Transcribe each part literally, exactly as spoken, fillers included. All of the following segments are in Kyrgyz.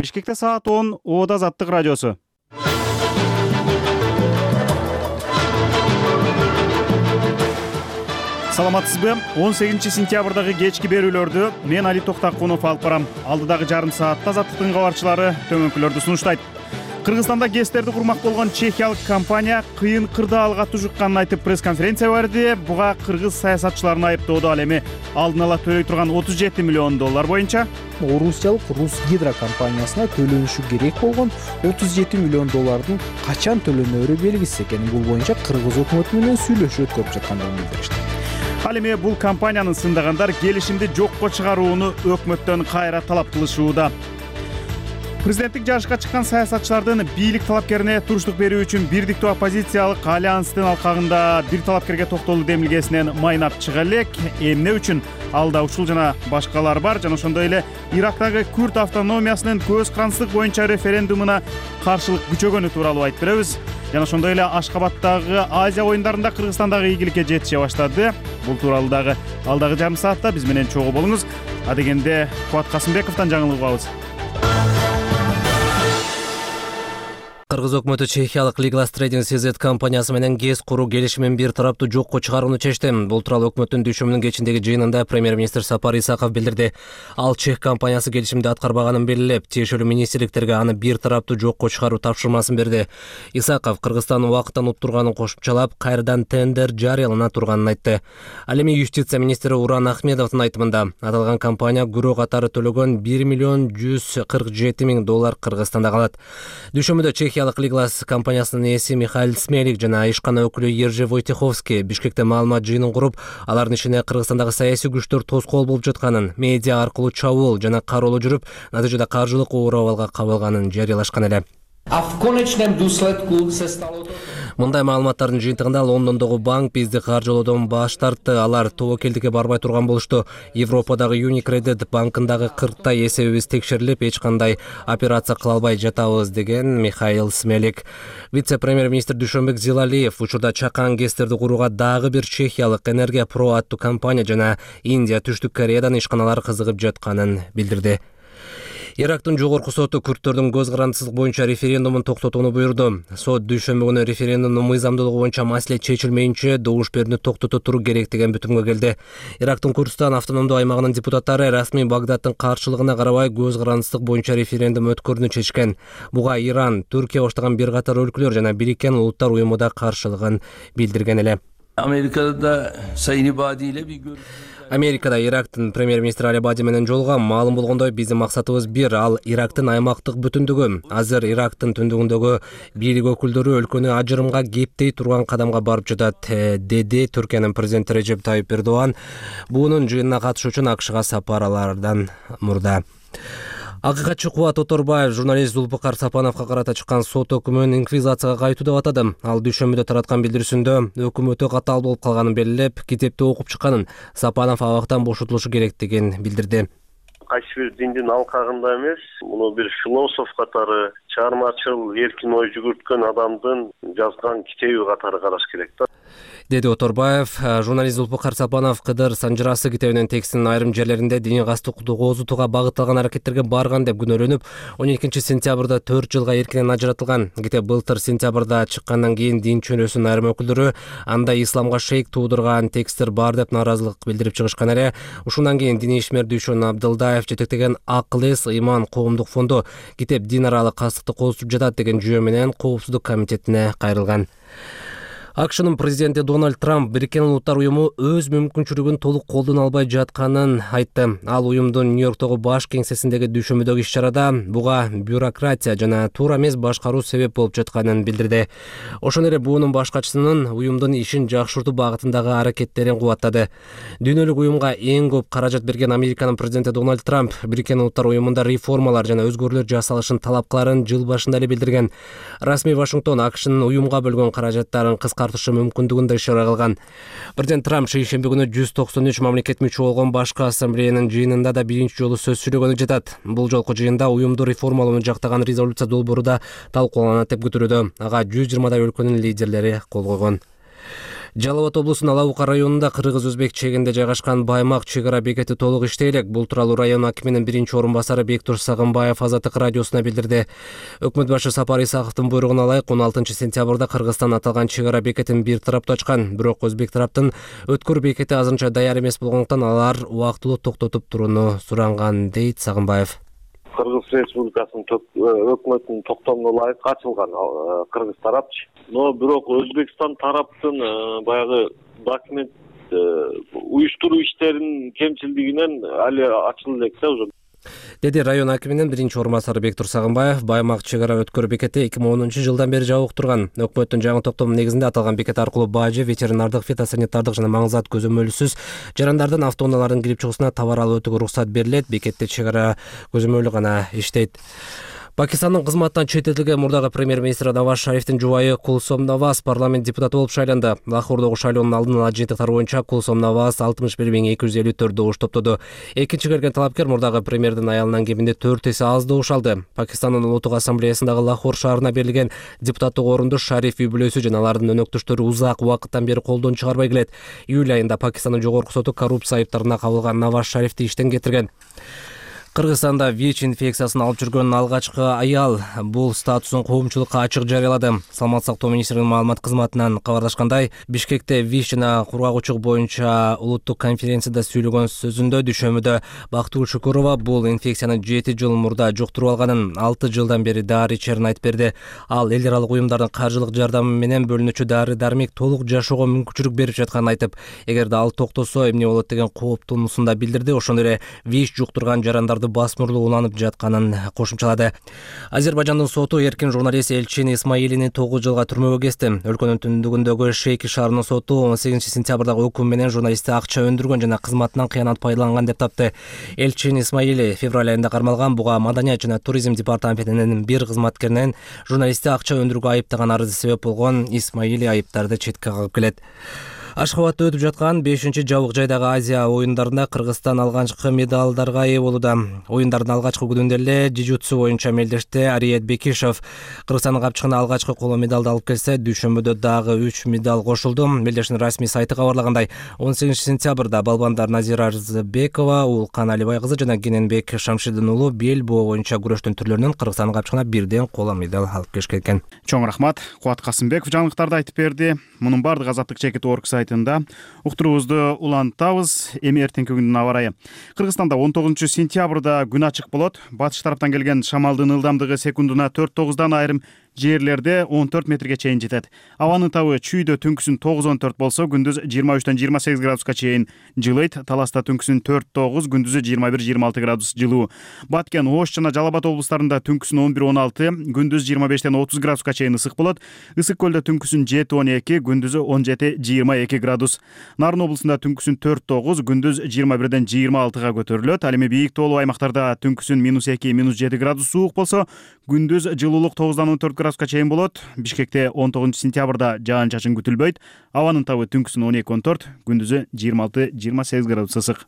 Бишкекте саат он, Ода Азаттык радиосу. Саламатсызбы? он сегизинчи сентябрдагы кечки берүүлөрдү мен Али Токтакунов алып барам. Алдыдагы жарым саатта Азаттыктын кабарчылары төмөнкүлөрдү сунуштайт. Кыргызстанда ГЭСтерди курмак болгон чехиялык компания кыйын кырдаалга тужукканын айтып пресс-конференция берди. Буга кыргыз саясатчыларын айыптоодо ал эми алдын ала төлөй турган отуз жети миллион доллар боюнча орусиялык Русгидро компаниясына төлөнүшү керек болгон отуз жети миллион доллардын качан төлөнөөрү белгисиз экенин, бул боюнча кыргыз өкмөтү менен сүйлөшүү өткөрүп жаткандыгын билдиришти. Ал эми бул компаниянын сындагандар келишимди жокко чыгарууну өкмөттөн кайра талап кылышууда. Президенттик жарышка чыккан саясатчылардын бийлик талапкерине туруштук берүү үчүн бирдиктүү оппозициялык альянстын алкагында бир талапкерге токтолуу демилгесинен майнап чыга элек. Эмне үчүн алда ушул жана башкалар бар, жана ошондой эле Ирактагы Күрд автономиясынын көз карандык боюнча референдумуна каршылык күчөгөнү тууралуу айтып беребиз. Жана ошондой эле Ашкабадтагы Азия оюндарында Кыргызстандагы ийгиликке жетише баштады. Бул тууралуу дагы алдагы жарым саатта биз менен чогуу болуңуз. Адегенде Кубат Касымбековдон жаңылык угабыз. Кыргыз өкмөтү чехиялык Liglas Trading си зет компаниясы менен ГЭС куруу келишимин бир тараптуу жокко чыгарууну чечти. Бул тууралуу өкмөттүн дүйшөмүнүн кечиндеги жыйынында премьер-министр Сапар Исаков билдирди. Ал чех компаниясы келишимди аткарбаганын белгилеп, тиешелүү министрликтерге аны бир тараптуу жокко чыгаруу тапшырмасын берди. Исаков Кыргызстан убакыттан уттурганын кошумчалап, кайрадан тендер жарыялана турганын айтты. Ал эми юстиция министри Уран Ахмедовдун айтымында аталган компания күрөө катары төлөгөн бир миллион жүз кырк жети миң доллар Кыргызстанда калат. Дүйшөмүдө Чехия Liglas компаниясынын ээси Михаил Смелик жана ишкана өкүлү Ержи Войтеховский Бишкекте маалымат жыйынын куруп, алардын ишине Кыргызстандагы саясий күчтөр тоскоол болуп жатканын, медиа аркылуу чабуул жана кароолоо жүрүп, натыйжада каржылык оор абалга кабылганын жарыялашкан эле. Мындай маалыматтардын жыйынтыгында Лондондогу банк бизди каржылоодон баш тартты. Алар тобокелдикке барбай турган болушту. Европадагы Unicredit банкындагы кырктай эсебибиз текшерилип, эч кандай операция кыла албай жатабыз, деген Михаил Смелик. Вице-премьер-министр Дүйшөнбек Зилалиев учурда чакан ГЭСтерди курууга дагы бир чехиялык Энергия Про аттуу компания жана Индия, Түштүк Кореядан ишканалар кызыгып жатканын билдирди. Ирактын жогорку соту күрдтөрдүн көз карандысыздык боюнча референдумун токтотууну буйрду. Сот дүйшөмбү күнү референдумдун мыйзамдуулугу боюнча маселе чечилмейинче добуш берүүнү токтото туруу керек деген бүтүмгө келди. Ирактын Курдистан автономдуу аймагынын депутаттары расмий Багдаддын каршылыгына карабай көз карандысыздык боюнча референдум өткөрүүнү чечишкен. Буга Иран, Түркия баштаган бир катар өлкөлөр жана Бириккен Улуттар уюму да каршылыгын билдирген эле. Америкада Сайын Ибади эле бир Америкада Ирактын премьер-министри Али Абади менен жолугам. Маалым болгондой, биздин максатыбыз бир, ал Ирактын аймактык бүтүндүгү. Азыр Ирактын түндүгүндөгү бийлик өкүлдөрү өлкөнү ажырымга кептей турган кадамга барып жатат, деди Түркиянын президенти Режеп Тайип Эрдоган буунун жыйынына катышуу үчүн АКШга сапарлардан мурда. Акыйкатчы Кубат Оторбаев журналист Зулпукар Сапановго карата чыккан сот өкүмүн инквизицияга кайтуу деп атады. Ал дүйшөмбүдө тараткан билдирүүсүндө өкүм өтө катаал болуп калганын белгилеп, китепти окуп чыкканын, Сапанов абактан бошотулушу керектигин билдирди. Кайсы бир диндин алкагында эмес, муну бир философ катары, чыгармачыл эркин ой жүгүрткөн адамдын жазган китеби катары караш керек да, деди Оторбаев. Журналист Зулпукар Сапанов Кыдыр Санжырасы китебинин текстинин айрым жерлеринде дини кастыктуу козутууга багытталган аракеттерге барган деп күнөөлөнүп, он экинчи сентябрда төрт жылга эркинен ажыратылган. Китеп былтыр сентябрда чыккандан кийин дин чөнөөсүнүн айрым өкүлдөрү анда исламга шейк туудурган тексттер бар деп нааразылык билдирип чыгышкан эле. Ушундан кийин диний ишмер Дүйшөн Абдылдаев жетектеген Акыл-эс Ыйман коомдук фонду китеп дин аралык кастыкты козутуп жатат деген жүйө менен Коопсуздук комитетине кайрылган. АКШнын президенти Дональд Трамп Бириккен Улуттар уюму өз мүмкүнчүлүгүн толук колдоно албай жатканын айтты. Ал уюмдун Нью-Йорктогу баш кеңсесиндеги дүйшөмбүдөгү иш-чарада буга бюрократия жана туура эмес башкаруу себеп болуп жатканын билдирди. Ошондой эле буунун башкачысынын уюмдун ишин жакшыртуу багытындагы аракеттерин кубаттады. Дүйнөлүк уюмга эң көп каражат берген Американын президенти Дональд Трамп Бириккен Улуттар уюмунда реформалар жана өзгөрүүлөр жасалышын талап кыларын жыл башында эле билдирген. Расмий Вашингтон АКШнын уюмга бөлгөн каражаттарын кыскартышы мүмкүндүгүн да ишара кылган. Президент Трамп шейшемби күнү жүз токсон үч мамлекет мүчө болгон башкы ассамблеянын жыйынында да биринчи жолу сөз сүйлөгөнү жатат. Бул жолку жыйында уюмду реформалоону жактаган резолюция долбоору да талкууланат деп күтүлүүдө. Ага жүз жыйырмадай өлкөнүн лидерлери кол койгон. Жалал Абад облусунун Алабука районунда кыргыз-өзбек чегинде жайгашкан Баймак чек ара бекети толук иштей элек. Бул тууралуу район акиминин биринчи орун басары Бектур Сагынбаев Азаттык радиосуна билдирди. Өкмөт башы Сапар Исаковдун буйругуна ылайык он алтынчы сентябрда Кыргызстан аталган чек ара бекетин бир тараптуу ачкан. Бирок өзбек тараптын өткөр бекети азырынча даяр эмес болгондуктан алар убактылуу токтотуп турууну суранган, дейт Сагынбаев. Кыргыз Республикасынын өкмөтүнүн токтомуна ылайык ачылган кыргыз тарапчы. Но бирок Өзбекстан тараптын баягы документ уюштуруу иштеринин кемчилдигинен али ачыла элек да уже, деди район акиминин биринчи орун басары Бектур Сагынбаев. Баймак чек ара өткөр бекети эки миң онунчу жылдан бери жабык турган. Өкмөттүн жаңы токтому негизинде аталган бекет аркылуу бажы, ветеринардык, фитосанитардык жана маңызат көзөмөлсүз жарандардын автоунаалардын кирип чыгуусуна товар алып өтүүгө уруксат берилет. Бекетте чек ара көзөмөлү гана иштейт. Пакистандын кызматтан четтетилген мурдагы премьер-министр Наваз Шарифтин жубайы Кулсом Наваз парламент депутаты болуп шайланды. Лахордогу шайлоонун алдын ала жыйынтыктары боюнча Кулсом Наваз алтымыш бир миң эки жүз элүү төрт добуш топтоду. Экинчи келген талапкер мурдагы премьердин аялынан кеминде төрт эсе аз добуш алды. Пакистандын улуттук ассамблеясындагы Лахор шаарына берилген депутаттык орунду Шариф үй бүлөсү жана алардын өнөктөштөрү узак убакыттан бери колдон чыгарбай келет. Июль айында Пакистандын жогорку соту коррупция айыптарына кабылган Наваз Шарифти иштен кетирген. Кыргызстанда ВИЧ инфекциясын алып жүргөн алгачкы аял бул статусун коомчулукка ачык жарыялады. Саламаттык сактоо министринин маалымат кызматынан кабарлашкандай, Бишкекте ВИЧ жана кургагучулук боюнча улуттук конференцияда сүйлөгөн сөзүндө дүйшөмүдө Бактыгүл Шүкүрова бул инфекцияны жети жыл мурда жуктуруп алганын, алты жылдан бери дары ичерин айтып берди. Ал эл аралык уюмдардын каржылык жардамы менен бөлүнүүчү дары-дармек толук жашоого мүмкүнчүлүк берип жатканын айтып, эгерде ал токтосо эмне болот деген кооптуусун да билдирди. Ошондой эле ВИЧ жуктурган жарандар басмырлуу уланып жатканын кошумчалады. Азербайжандын соту эркин журналист Элчин Исмаилини тогуз жылга түрмөгө кести. Өлкөнүн түндүгүндөгү Шейки шаарынын соту он сегизинчи сентябрдагы өкүм менен журналистти акча өндүргөн жана кызматынан кыянат пайдаланган деп тапты. Элчин Исмаили февраль айында кармалган. Буга Маданият жана туризм департаментинин бир кызматкеринен журналистти акча өндүрүүгө айыптаган арызы себеп болгон. Исмаили айыптарды четке кагып келет. Ашхабадда өтүп жаткан бешинчи жабык жайдагы Азия оюндарында Кыргызстан алгачкы медалдарга ээ болууда. Оюндардын алгачкы күнүндө эле жижутсу боюнча мелдеште Ариет Бекишев Кыргызстандын капчыгына алгачкы коло медалды алып келсе, дүйшөмбүдө дагы үч медаль кошулду. Мелдештин расмий сайты кабарлагандай, он сегизинчи сентябрда балбандар Назира Арзыбекова, Улкан Алибай кызы жана Кененбек Шамшидин уулу бел боо боюнча күрөштүн түрлөрүнөн Кыргызстандын капчыгына бирден коло медаль алып келишкен экен. Чоң рахмат. Кубат Касымбеков жаңылыктарды айтып берди. Мунун бардыгы Азаттык чекит орг сайтында. Уктуруубузду улантабыз. Эми эртеңки күндүн аба ырайы. Кыргызстанда он тогузунчу сентябрда күн ачык болот. Батыш тараптан келген шамалдын ылдамдыгы секундуна төрт тогуздан, айрым жерлерде он төрт метрге чейин жетет. Абанын табы чүйдө түнкүсүн тогуз он төрт болсо, күндүз жыйырма үчтөн жыйырма сегиз градуска чейин жылыйт. Таласта түнкүсүн төрт тогуз, күндүзү жыйырма бир жыйырма алты градус жылуу. Баткен, Ош жана Жалал Абад облустарында түнкүсүн он бир он алты, күндүз жыйырма бештен отуз градуска чейин ысык болот. Ысык көлдө түнкүсүн жети он эки, күндүзү он жети жыйырма эки градус. Нарын облусунда түнкүсүн төрт тогуз, күндүз жыйырма бирден жыйырма алтыга көтөрүлөт. Ал эми бийик тоолуу аймактарда түнкүсүн минус эки, минус жети градус суук болсо, күндүз жылуулук тогуздан он төрт градуска чейин болот. Бишкекте он тогузунчу сентябрда жаан чачын күтүлбөйт. Абанын табы түнкүсүн он эки он төрт, күндүзү жыйырма алты жыйырма сегиз градус ысык.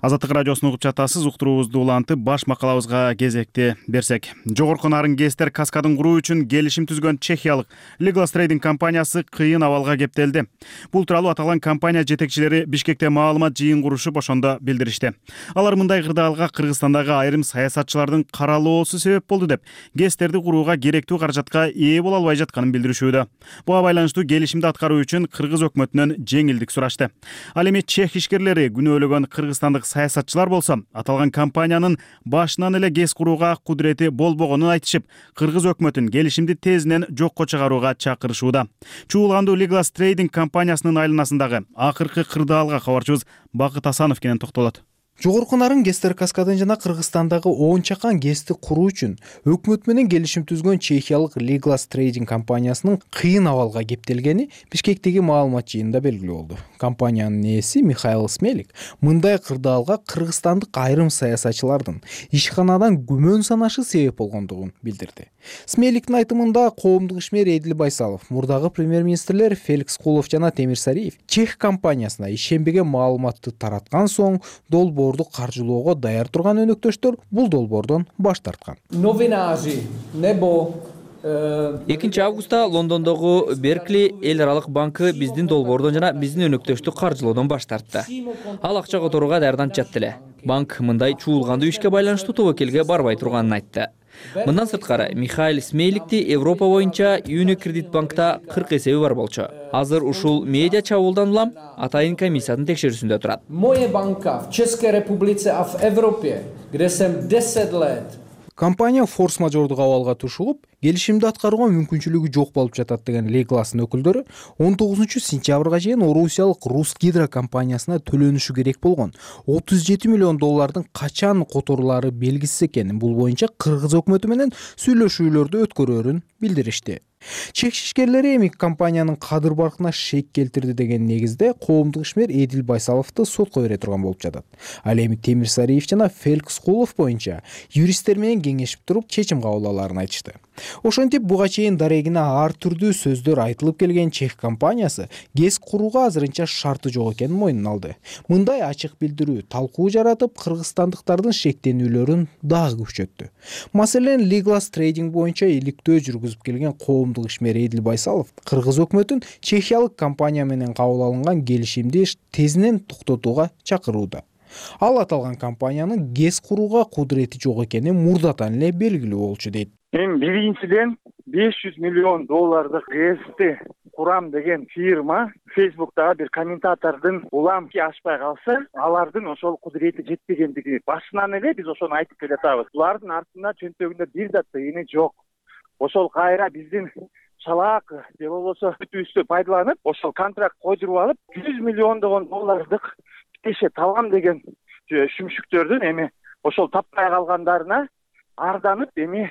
Азаттык радиосун угуп жатасыз. Уктуруубузду улантып, баш макалабызга кезекти берсек. Жогорку нарын ГЭСтер каскадын куруу үчүн келишим түзгөн чехиялык Legal Trading компаниясы кыйын абалга кептелди. Бул тууралуу аталган компания жетекчилери Бишкекте маалымат жыйын курушуп, ошондо билдиришти. Алар мындай кырдаалга Кыргызстандагы айрым саясатчылардын каралоосу себеп болду деп, ГЭСтерди курууга керектүү каражатка ээ боло албай жатканын билдиришүүдө. Буга байланыштуу келишимди аткаруу үчүн Кыргыз өкмөтүнөн жеңилдик сурашты. Ал эми чех ишкерлери күнөөлөгөн кыргызстандык саясатчылар болсо, аталган компаниянын башынан эле ГЭС курууга кудурети болбогонун айтышып, Кыргыз өкмөтүн келишимди тезинен жокко чыгарууга чакырышууда. Чуулгандуу Legal Trading компаниясынын айланасындагы акыркы кырдаалга кабарчыбыз Бакыт Асанов кенен токтолот. Жогорку нарын ГЭСтер каскадын жана Кыргызстандагы он чакан ГЭСти куруу үчүн өкмөт менен келишим түзгөн чехиялык Legal Trading компаниясынын кыйын абалга кептелгени Бишкектеги маалымат жыйынында белгилүү болду. Компаниянын ээси Михаил Смелик мындай кырдаалга кыргызстандык айрым саясатчылардын ишканадан күмөн санашы себеп болгондугун билдирди. Смейликтин айтымында коомдук ишмер Эдил Байсалов, мурдагы премьер-министрлер Феликс Кулов жана Темир Сариев чех компаниясына ишенбеген маалыматты тараткан соң долбоорду каржылоого даяр турган өнөктөштөр бул долбоордон баш тарткан. Новинажи небо экинчи августта Лондондогу Беркли эл аралык банкы биздин долбоордон жана биздин өнөктөштү каржылоодон баш тартты. Ал акча которууга даярданып эле. Банк мындай чуулгандуу ишке байланыштуу тобокелге барбай турганын айтты. Мындан сырткары Михаил Смейликти Европа боюнча Unicredit банкта кырк эсеби бар болчу. Азыр ушул медиа чабуулдан улам атайын комиссиянын текшерүүсүндө турат. Моя банка в Чешской Республике, а в Европе, где сем десять лет. Компания форс-мажордук абалга тушулуп, келишимди аткарууга мүмкүнчүлүгү жок болуп жатат деген Легластын өкүлдөрү он тогузунчу сентябрга чейин Орусиялык Русгидро компаниясына төлөнүшү керек болгон отуз жети миллион доллардын качан которулары белгисиз экенин, бул боюнча кыргыз өкмөтү менен сүйлөшүүлөрдү өткөрөөрүн билдиришти. Чех ишкерлери эми компаниянын кадыр баркына шек келтирди деген негизде коомдук ишмер Эдил Байсаловду сотко бере турган болуп жатат. Ал эми Темир Сариев жана Феликс Кулов боюнча юристтер менен кеңешип туруп чечим кабыл алаарын айтышты. Ошентип буга чейин дарегине ар түрдүү сөздөр айтылып келген чех компаниясы ГЭС курууга азырынча шарты жок экенин мойнуна алды. Мындай ачык билдирүү талкуу жаратып, кыргызстандыктардын шектенүүлөрүн дагы күчөттү. Маселен, Leglast Trading боюнча иликтөө жүргүзүп келген коомдук ишмер Эдил Байсалов кыргыз өкмөтүн чехиялык компания менен кабыл алынган келишимди тезинен токтотууга чакырууда. Ал аталган компаниянын ГЭС курууга кудурети жок экени мурдатан эле белгилүү болчу дейт. Мен биринчиден беш жүз миллион доллардык ГЭСти курам деген фирма Фейсбуктагы бир комментатордун улам ашпай калса, алардын ошол кудурети жетпегендиги башынан эле биз ошону айтып келатабыз. Булардын артында чөнтөгүндө бир да тыйыны жок. Ошол кайра биздин чалаак же болбосо бүтүүбүздү пайдаланып, ошол контракт койдуруп алып, жүз миллиондогон доллардык теше табам деген шүмшүктөрдүн эми ошол таппай калгандарына арданып, эми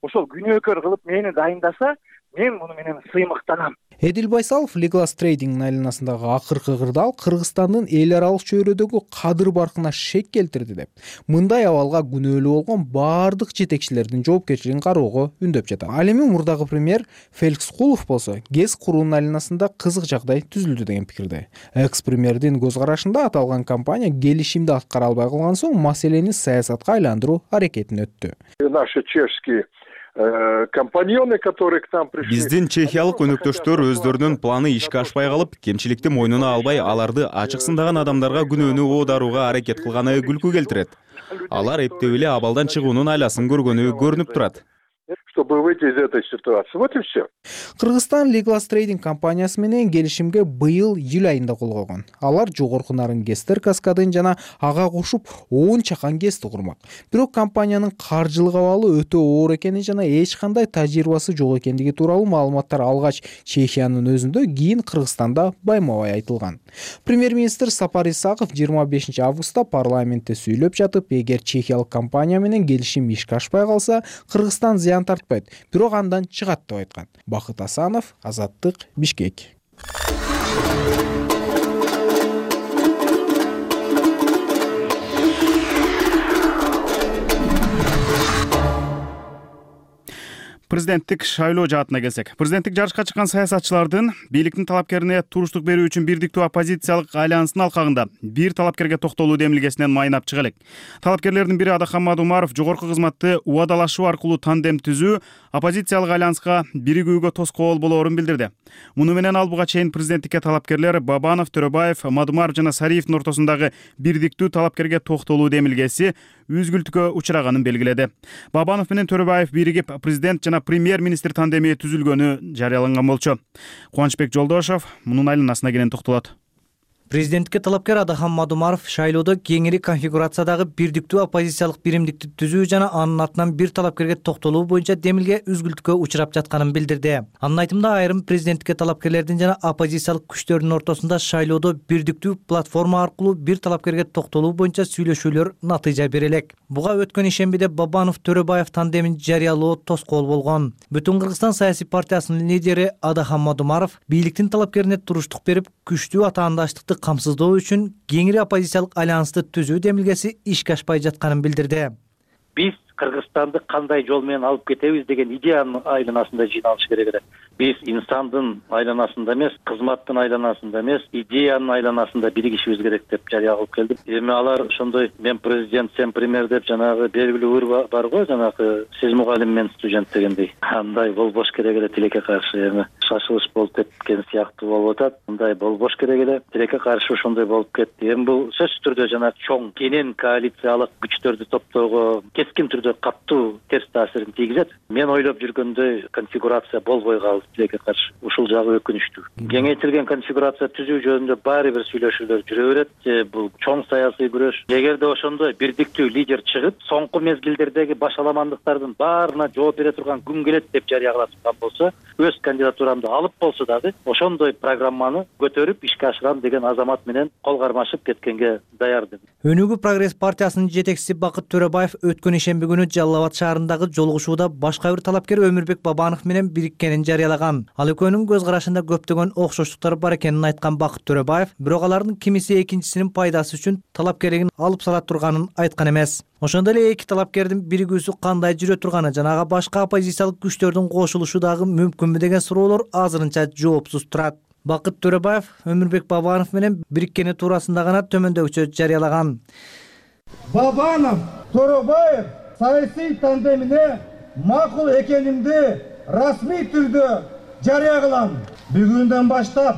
ошол күнөөкөр кылып мени дайындаса, мен муну менен сыймыктанам. Эдил Байсалов Leglast Trading айланасындагы акыркы кырдаал Кыргызстандын эл аралык чөйрөдөгү кадыр баркына шек келтирди деп, мындай абалга күнөөлүү болгон баардык жетекчилердин жоопкерчилигин кароого үндөп жатат. Ал эми мурдагы премьер Феликс Кулов болсо ГЭС куруунун айланасында кызык жагдай түзүлдү деген пикирде. Экс-премьердин көз карашында аталган компания келишимди аткара албай калган соң маселени саясатка айландыруу аракетине өттү. Наши чешские компаньоны, которые к нам пришли. Биздин чехиялык өнөктөштөр өздөрүнүн планы ишке ашпай калып, кемчиликти мойнуна албай, аларды ачыксындаган адамдарга күнөөнү оодарууга аракет кылганы күлкү келтирет. Алар эптеп эле абалдан чыгуунун айласын көргөнү көрүнүп турат. Чтобы выйти из этой ситуации. Вот и все. Кыргызстан Leglast Trading компаниясы менен келишимге быйыл июль айында кол койгон. Алар жогорку нарын ГЭСтер каскадын жана ага кошуп он чакан ГЭСти курмак. Бирок компаниянын каржылык абалы өтө оор экени жана эч кандай тажрыйбасы жок экендиги тууралуу маалыматтар алгач Чехиянын өзүндө, кийин Кыргызстанда байма-бай айтылган. Премьер-министр Сапар Исаков жыйырма бешинчи августта парламентте сүйлөп жатып, эгер чехиялык компания менен келишим ишке ашпай калса, Кыргызстан зыян тартпайт, бирок андан чыгат деп айткан. Бакыт Асанов, Азаттык, Бишкек. Президенттик шайлоо жаатына келсек, президенттик жарышка чыккан саясатчылардын бийликтин талапкерине туруштук берүү үчүн бирдиктүү оппозициялык альянстын алкагында бир талапкерге токтолуу демилгесинен майнап чыга элек. Талапкерлердин бири Адахан Мадумаров жогорку кызматты убадалашуу аркылуу тандем түзүү оппозициялык альянска биригүүгө тоскоол болоорун билдирди. Муну менен ал буга чейин президенттикке талапкерлер Бабанов, Төрөбаев, Мадумаров жана Сариевдин ортосундагы бирдиктүү талапкерге токтолуу демилгеси үзгүлтүккө учураганын белгиледи. Бабанов менен Төрөбаев биригип президент жана премьер-министр тандеми түзүлгөнү жарыяланган болчу. Кубанычбек Жолдошов мунун айланасына кенен токтолот. Президенттикке талапкер Адахан Мадумаров шайлоодо кеңири конфигурациядагы бирдиктүү оппозициялык биримдикти түзүү жана анын артынан бир талапкерге токтолуу боюнча демилге үзгүлтүккө учурап жатканын билдирди. Анын айтымында айрым президенттикке талапкерлердин жана оппозициялык күчтөрдүн ортосунда шайлоодо бирдиктүү платформа аркылуу бир талапкерге токтолуу боюнча сүйлөшүүлөр натыйжа бере элек. Буга өткөн ишембиде Бабанов Төрөбаев тандемин жарыялоо тоскоол болгон. Бүтүн Кыргызстан саясий партиясынын лидери Адахан Мадумаров бийликтин талапкерине туруштук берип, күчтүү атаандаштыкты камсыздоо үчүн кеңири оппозициялык альянсты түзүү демилгеси ишке ашпай жатканын билдирди. Биз Кыргызстанды кандай жол менен алып кетебиз деген идеянын айланасында жыйналыш керек эле. Биз инсандын айланасында эмес, кызматтын айланасында эмес, идеянын айланасында биригишибиз керек деп жарыя кылып келдим. Эми алар ошондой мен президент, сен премьер деп жанагы белгилүү ыр бар го, жанагы сиз мугалим мен студент дегендей. Андай болбош керек эле тилекке каршы. Эми шашылыш болуп кеткен сыяктуу болуп атат. Мындай болбош керек эле. Тилекке каршы ошондой болуп кетти. Эми бул сөзсүз түрдө жанагы чоң кенен коалициялык күчтөрдү топтоого кескин түрдө каттуу терс таасирин тийгизет. Мен ойлоп жүргөндөй конфигурация болбой калды тилекке каршы. Ушул жагы өкүнүчтүү. Кеңейтилген конфигурация түзүү жөнүндө баары бир сүйлөшүүлөр жүрө берет. Бул чоң саясий күрөш. Эгерде ошондой бирдиктүү лидер чыгып, соңку мезгилдердеги башаламандыктардын баарына жооп бере турган күн келет деп жарыя кыла турган болсо, өз кандидатурамды алып болсо дагы ошондой программаны көтөрүп ишке ашырам деген азамат менен кол кармашып кеткенге даярдым. Өнүгүү прогресс партиясынын жетекчиси Бакыт Төрөбаев өткөн ишемби күнү Жалал Абад шаарындагы жолугушууда башка бир талапкер Өмүрбек Бабанов менен бириккенин жарыялаган. Ал экөөнүн көз карашында көптөгөн окшоштуктар бар экенин айткан Бакыт Төрөбаев, бирок алардын кимиси экинчисинин пайдасы үчүн талапкерлигин алып сала турганын айткан эмес. Ошондой эле эки талапкердин биригүүсү кандай жүрө турганы жана башка оппозициялык күчтөрдүн кошулушу дагы мүмкүнбү деген суроолор азырынча жоопсуз турат. Бакыт Төрөбаев Өмүрбек Бабанов менен бириккени туурасында гана төмөндөгүчө жарыялаган. Бабанов, Төрөбаев саясий тандемине макул экенимди расмий түрдө жарыя кылам. Бүгүндөн баштап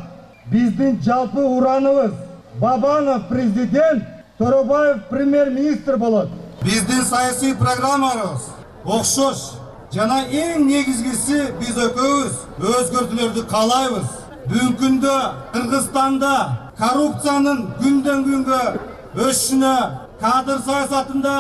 биздин жалпы ураныбыз Бабанов президент, Төрөбаев премьер-министр болот. Биздин саясий программабыз окшош жана эң негизгиси биз экөөбүз өзгөртүүлөрдү каалайбыз. Бүгүнкү күндө Кыргызстанда коррупциянын күндөн күнгө өсүшүнө, кадр саясатында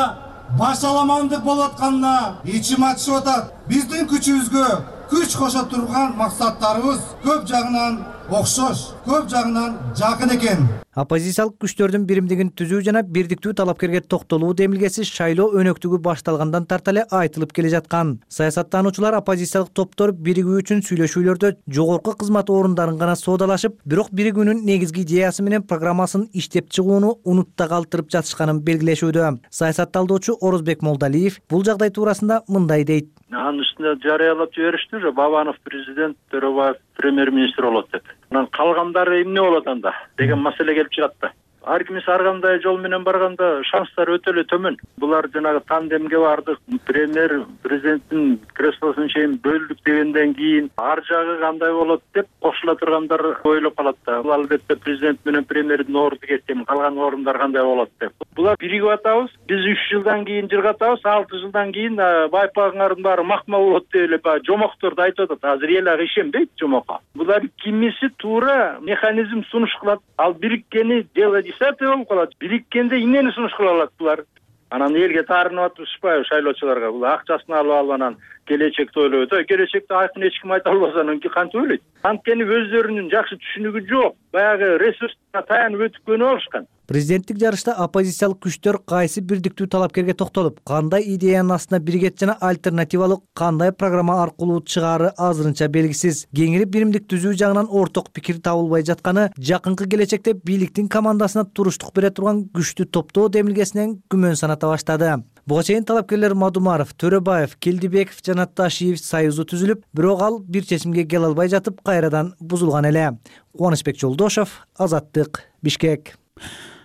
башаламандык болуп атканына ичим ачышып атат. Биздин күчүбүзгө күч кошо турган максаттарыбыз көп жагынан окшош, көп жагынан жакын экен. Оппозициялык күчтөрдүн биримдигин түзүү жана бирдиктүү талапкерге токтолуу демилгеси шайлоо өнөктүгү башталгандан тарта эле айтылып келе жаткан. Саясаттануучулар оппозициялык топтор биригүү үчүн сүйлөшүүлөрдө жогорку кызмат орундарын гана соодалашып, бирок биригүүнүн негизги идеясы менен программасын иштеп чыгууну унутта калтырып жатышканын белгилешүүдө. Саясатталдоочу Орозбек Молдалиев бул жагдай туурасында мындай дейт. Анын үстүнө жарыялап жибериштир, Бабанов президент, Төрөбаев премьер-министр болот деп. Анан калгандары эмне болот анда деген маселе келип чыгат да. Ар кимиси ар кандай жол менен барганда шанстар өтө эле төмөн. Булар жанагы тандемге бардык, премьер президенттин креслосун чейин бөлдүк дегенден кийин ар жагы кандай болот деп кошула тургандар ойлоп калат да. Бул албетте президент менен премьердин орду кеткен, калган орундар кандай болот деп. Булар биригип атабыз. Биз үч жылдан кийин жыргатабыз, алты жылдан кийин байпагыңардын баары макмал болот деп эле баягы жомокторду айтып атат. Азыр эл ага ишенбейт жомокко. Булар кимиси туура механизм сунуш кылат. Ал бириккени дело десятый болуп калат. Бириккенде эмнени сунуш кыла алат булар? Анан элге таарынып атышпайбы шайлоочуларга? Бул акчасын алып алып анан келечекти ойлойт. Келечекти айкын эч ким айта албаса анан кантип ойлойт? Анткени өздөрүнүн жакшы түшүнүгү жок. Баягы ресурска таянып өтүп көнүп алышкан. Президенттик жарышта оппозициялык күчтөр кайсы бирдиктүү талапкерге токтолуп, кандай идеянын астына биригет жана альтернативалык кандай программа аркылуу чыгаары азырынча белгисиз. Кеңири биримдик түзүү жагынан орток пикир табылбай жатканы жакынкы келечекте бийликтин командасына туруштук бере турган күчтүү топтоо демилгесинен күмөн саната баштады. Буга чейин талапкерлер Мадумаров, Төрөбаев, Келдибеков жана Ташиев союзу түзүлүп, бирок ал бир чечимге келе албай жатып кайрадан бузулган эле. Кубанычбек Жолдошов, Азаттык, Бишкек.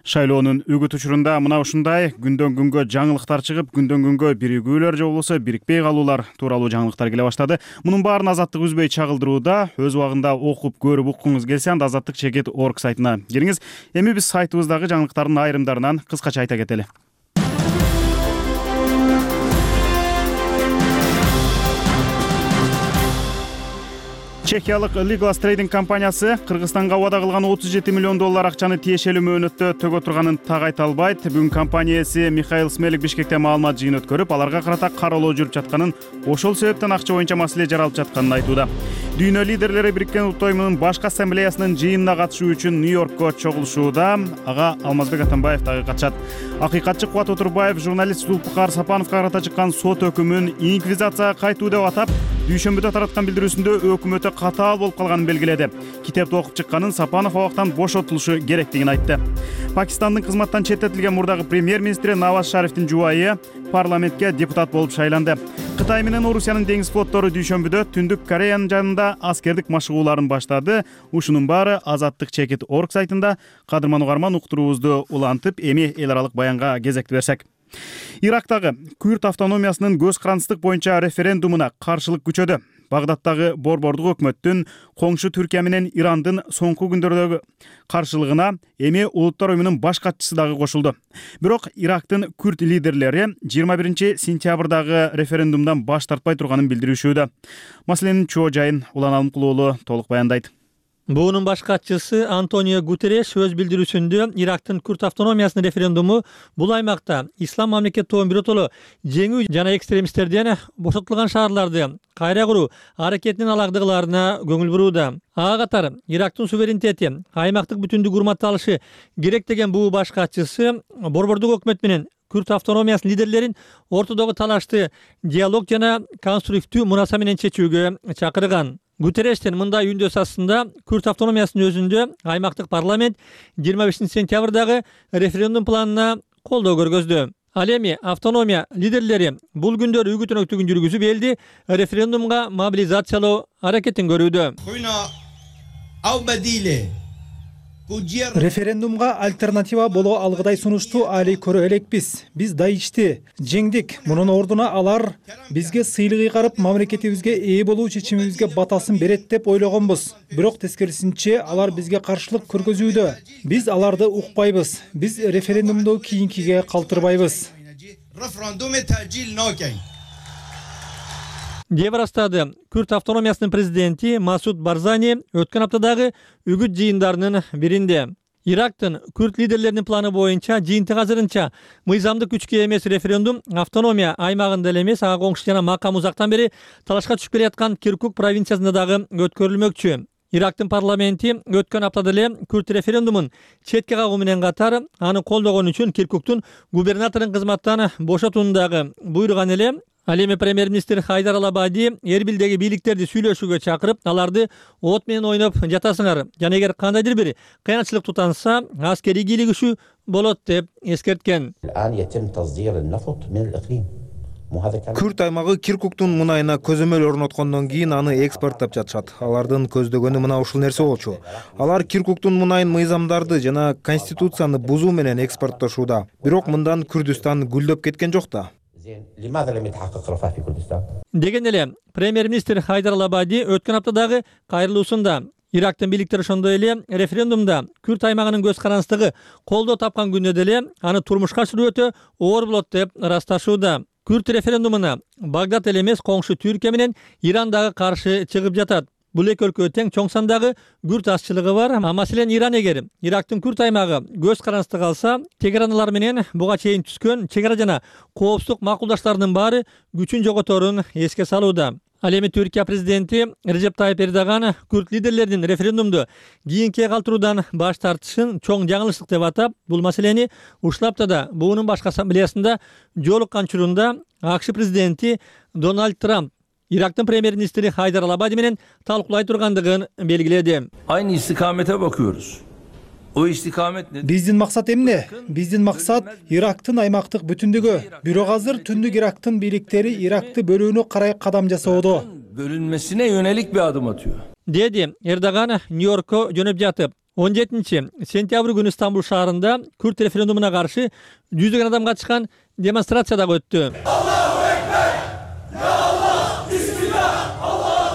Шайлоонун үгүт учурунда мына ушундай күндөн күнгө жаңылыктар чыгып, күндөн күнгө биригүүлөр же болбосо бирикпей калуулар тууралуу жаңылыктар келе баштады. Мунун баарын Азаттык үзбөй чагылдырууда. Өз убагында окуп көрүп уккуңуз келсе, анда азаттык чекит орг сайтына кириңиз. Эми биз сайтыбыздагы жаңылыктардын айрымдарынан кыскача айта кетели. Чехиялык Legal Trading компаниясы Кыргызстанга убада кылган отуз жети миллион доллар акчаны тиешелүү мөөнөттө төгө турганын так айта албайт. Бүгүн компания ээси Михаил Смелик Бишкекте маалымат жыйын өткөрүп, аларга карата кароолоо жүрүп жатканын, ошол себептен акча боюнча маселе жаралып жатканын айтууда. Дүйнө лидерлери Бириккен Улуттар уюмунун башкы ассамблеясынын жыйынына катышуу үчүн Нью-Йоркко чогулушууда. Ага Алмазбек Атамбаев дагы катышат. Акыйкатчы Кубат Отурбаев журналист Зулпукар Сапановго карата чыккан сот өкүмүн инквизицияга кайтуу деп атап, дүйшөмбүдө тараткан билдирүүсүндө өкмөтү катаал болуп калганын белгиледи. Китепти окуп чыкканын Сапанов абактан бошотулушу керектигин айтты. Пакистандын кызматтан четтетилген мурдагы премьер-министри Наваз Шарифтин жубайы парламентке депутат болуп шайланды. Кытай менен Орусиянын деңиз флоттору дүйшөмбүдө Түндүк Кореянын жанында аскердик машыгууларын баштады. Ушунун баары Азаттык чекит точка орг сайтында. Кадырман угарман, уктуруубузду улантып, эми эл аралык баянга кезекти берсек. Ирактагы Күрд автономиясынын көз карандысыздык боюнча референдумуна каршылык күчөдү. Багдадтагы борбордук өкмөттүн коңшу Түркия менен Ирандын соңку күндөрдөгү каршылыгына эми Улуттар уюмунун баш катчысы дагы кошулду. Бирок Ирактын күрд лидерлери жыйырма биринчи сентябрдагы референдумдан баш тартпай турганын билдиришүүдө. Маселенин чоо жайын Улан Алымкулуулу толук баяндайт. Буунун баш катчысы Антонио Гутерреш өз билдирүүсүндө Ирактын күрд автономиясынын референдуму бул аймакта ислам мамлекет тобун биротоло жеңүү жана экстремисттерден бошотулган шаарларды кайра куруу аракетинин алагдыгыларына көңүл бурууда. Ага катары Ирактын суверенитети, аймактык бүтүндүк урматталышы керек деген буу баш катчысы борбордук өкмөт менен күрд автономиясынын лидерлерин ортодогу талашты диалог жана конструктивдүү мунаса менен чечүүгө чакырган. Гутеррештин мындай үндөөсү астында күрд автономиясынын өзүндө аймактык парламент жыйырма бешинчи сентябрдагы референдум планына колдоо көргөздү. Ал эми автономия лидерлери бул күндөрү үгүт өнөктүгүн жүргүзүп элди референдумга мобилизациялоо аракетин көрүүдө. Референдумга альтернатива боло алгыдай сунушту али көрө элекпиз. Биз Даишти жеңдик. Мунун ордуна алар бизге сыйлык ыйгарып, мамлекетибизге ээ болуу чечимибизге батасын берет деп ойлогонбуз. Бирок тескерисинче алар бизге каршылык көргөзүүдө. Биз аларды укпайбыз. Биз референдумду кийинкиге калтырбайбыз. деп ырастады Күрд автономиясынын президенти Масуд Барзани өткөн аптадагы үгүт жыйындарынын биринде. Ирактын күрд лидерлеринин планы боюнча жыйынтык азырынча мыйзамдык күчкө эмес референдум автономия аймагында эле эмес, ага коңшу жана макам узактан бери талашка түшүп келаткан Киркук провинциясында дагы өткөрүлмөкчү. Ирактын парламенти өткөн аптада эле күрд референдумун четке кагуу менен катар аны колдогон үчүн Киркуктун губернаторун кызматтан бошотууну дагы буйруган эле. Ал эми премьер-министр Хайдар Алабади Эрбилдеги бийликтерди сүйлөшүүгө чакырып, аларды от менен ойноп жатасыңар жана эгер кандайдыр бир кыянчылык тутанса, аскерий кийлигишүү болот деп эскерткен. Күрд аймагы Киркуктун мунайына көзөмөл орноткондон кийин аны экспорттоп жатышат. Алардын көздөгөнү мына ушул нерсе болчу. Алар Киркуктун мунайын мыйзамдарды жана конституцияны бузуу менен экспорттошууда. Бирок мындан Күрдүстан гүлдөп кеткен жок да. Деген эле премьер-министр Хайдар Алабади өткөн аптадагы кайрылуусунда Ирактын бийликтери ошондой эле референдумда күрд аймагынын көз карандысыздыгы колдоо тапкан күндө деле аны турмушка ашыруу өтө оор болот деп ырасташууда. Күрд референдумуна Багдад эле эмес, коңшу Түркия менен Иран дагы каршы чыгып жатат. Бул эки өлкө тең чоң сандагы күрд азчылыгы бар. Маселен, Иран эгер Ирактын күрд аймагы көз карандысыздык алса, чегаранылар менен буга чейин түзгөн чегара жана коопсуздук макулдаштарынын баары күчүн жоготорун эске салууда. Ал эми Түркия президенти Режеп Тайып Эрдоган күрд лидерлеринин референдумду кийинкиге калтыруудан баш тартышын чоң жаңылыштык деп атап, бул маселени ушул аптада буунун башкы ассамблеясында жолуккан учурунда АКШ президенти Дональд Трамп Ирактын премьер-министри Хайдар Алабади менен талкуулай тургандыгын белгиледи. Aynı istikamete bakıyoruz. O istikamet ne? Биздин максат эмне? Биздин максат Ирактын аймактык бүтүндүгү. Бирок азыр Түндүк Ирактын бийликтери Иракты бөлүүнү карай кадам жасоодо. Bölünmesine yönelik bir adım atıyor. Деди Эрдоган Нью-Йоркко жөнөп жатып. он жетинчи сентябрь күнү Стамбул шаарында күрд референдумуна каршы жүздөгөн адам катышкан демонстрация дагы өттү.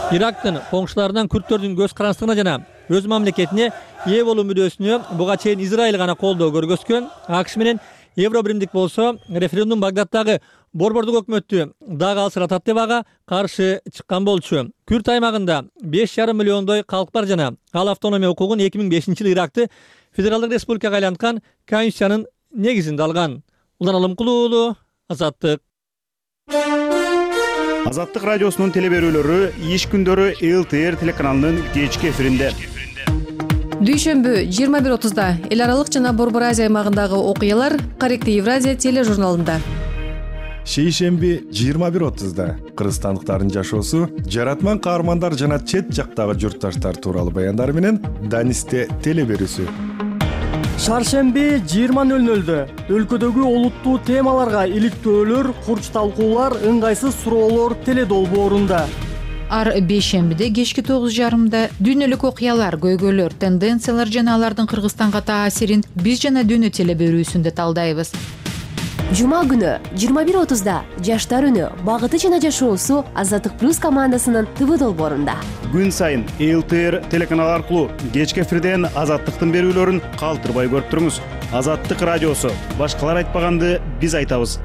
Ирактын коңшуларынан күрдтөрдүн көз карандысыздыгына жана өз мамлекетине ээ болуу мүдөөсүнө буга чейин Израиль гана колдоо көргөзгөн. АКШ менен Евробиримдик болсо референдум Багдадтагы борбордук өкмөттү дагы алсыратат деп ага каршы чыккан болчу. Күрд аймагында беш жарым миллиондой калк бар жана ал автономия укугун эки миң бешинчи жылы Иракты федералдык республикага айланткан конституциянын негизинде алган. Улан Алымкулуулу, Азаттык. Азаттык радиосунун телеберүүлөрү иш күндөрү Эл Т Р телеканалынын кечки эфиринде. Дүйшөмбү жыйырма бир отузда эл аралык жана Борбор Азия аймагындагы окуялар Корректив Евразия тележурналында. шейшемби жыйырма бир отузда кыргызстандыктардын жашоосу, жаратман каармандар жана чет жактагы журтташтар тууралуу баяндары менен Данисте телеберүүсү. Шаршемби жыйырма нөл нөлдө өлкөдөгү олуттуу темаларга иликтөөлөр, курч талкуулар, ыңгайсыз суроолор теледолбоорунда. Ар бейшембиде кечки тогуз жарымда дүйнөлүк окуялар, көйгөйлөр, тенденциялар жана алардын Кыргызстанга таасирин биз жана дүйнө телеберүүсүндө талдайбыз. Жума күнү жыйырма бир отузда Жаштар үнү, багыты жана жашоосу Азаттык плюс командасынын ТВ долбоорунда. Күн сайын эл тэ эр телеканалы аркылуу кечки эфирден Азаттыктын берүүлөрүн калтырбай көрүп туруңуз. Азаттык радиосу. Башкалар айтпаганды биз айтабыз.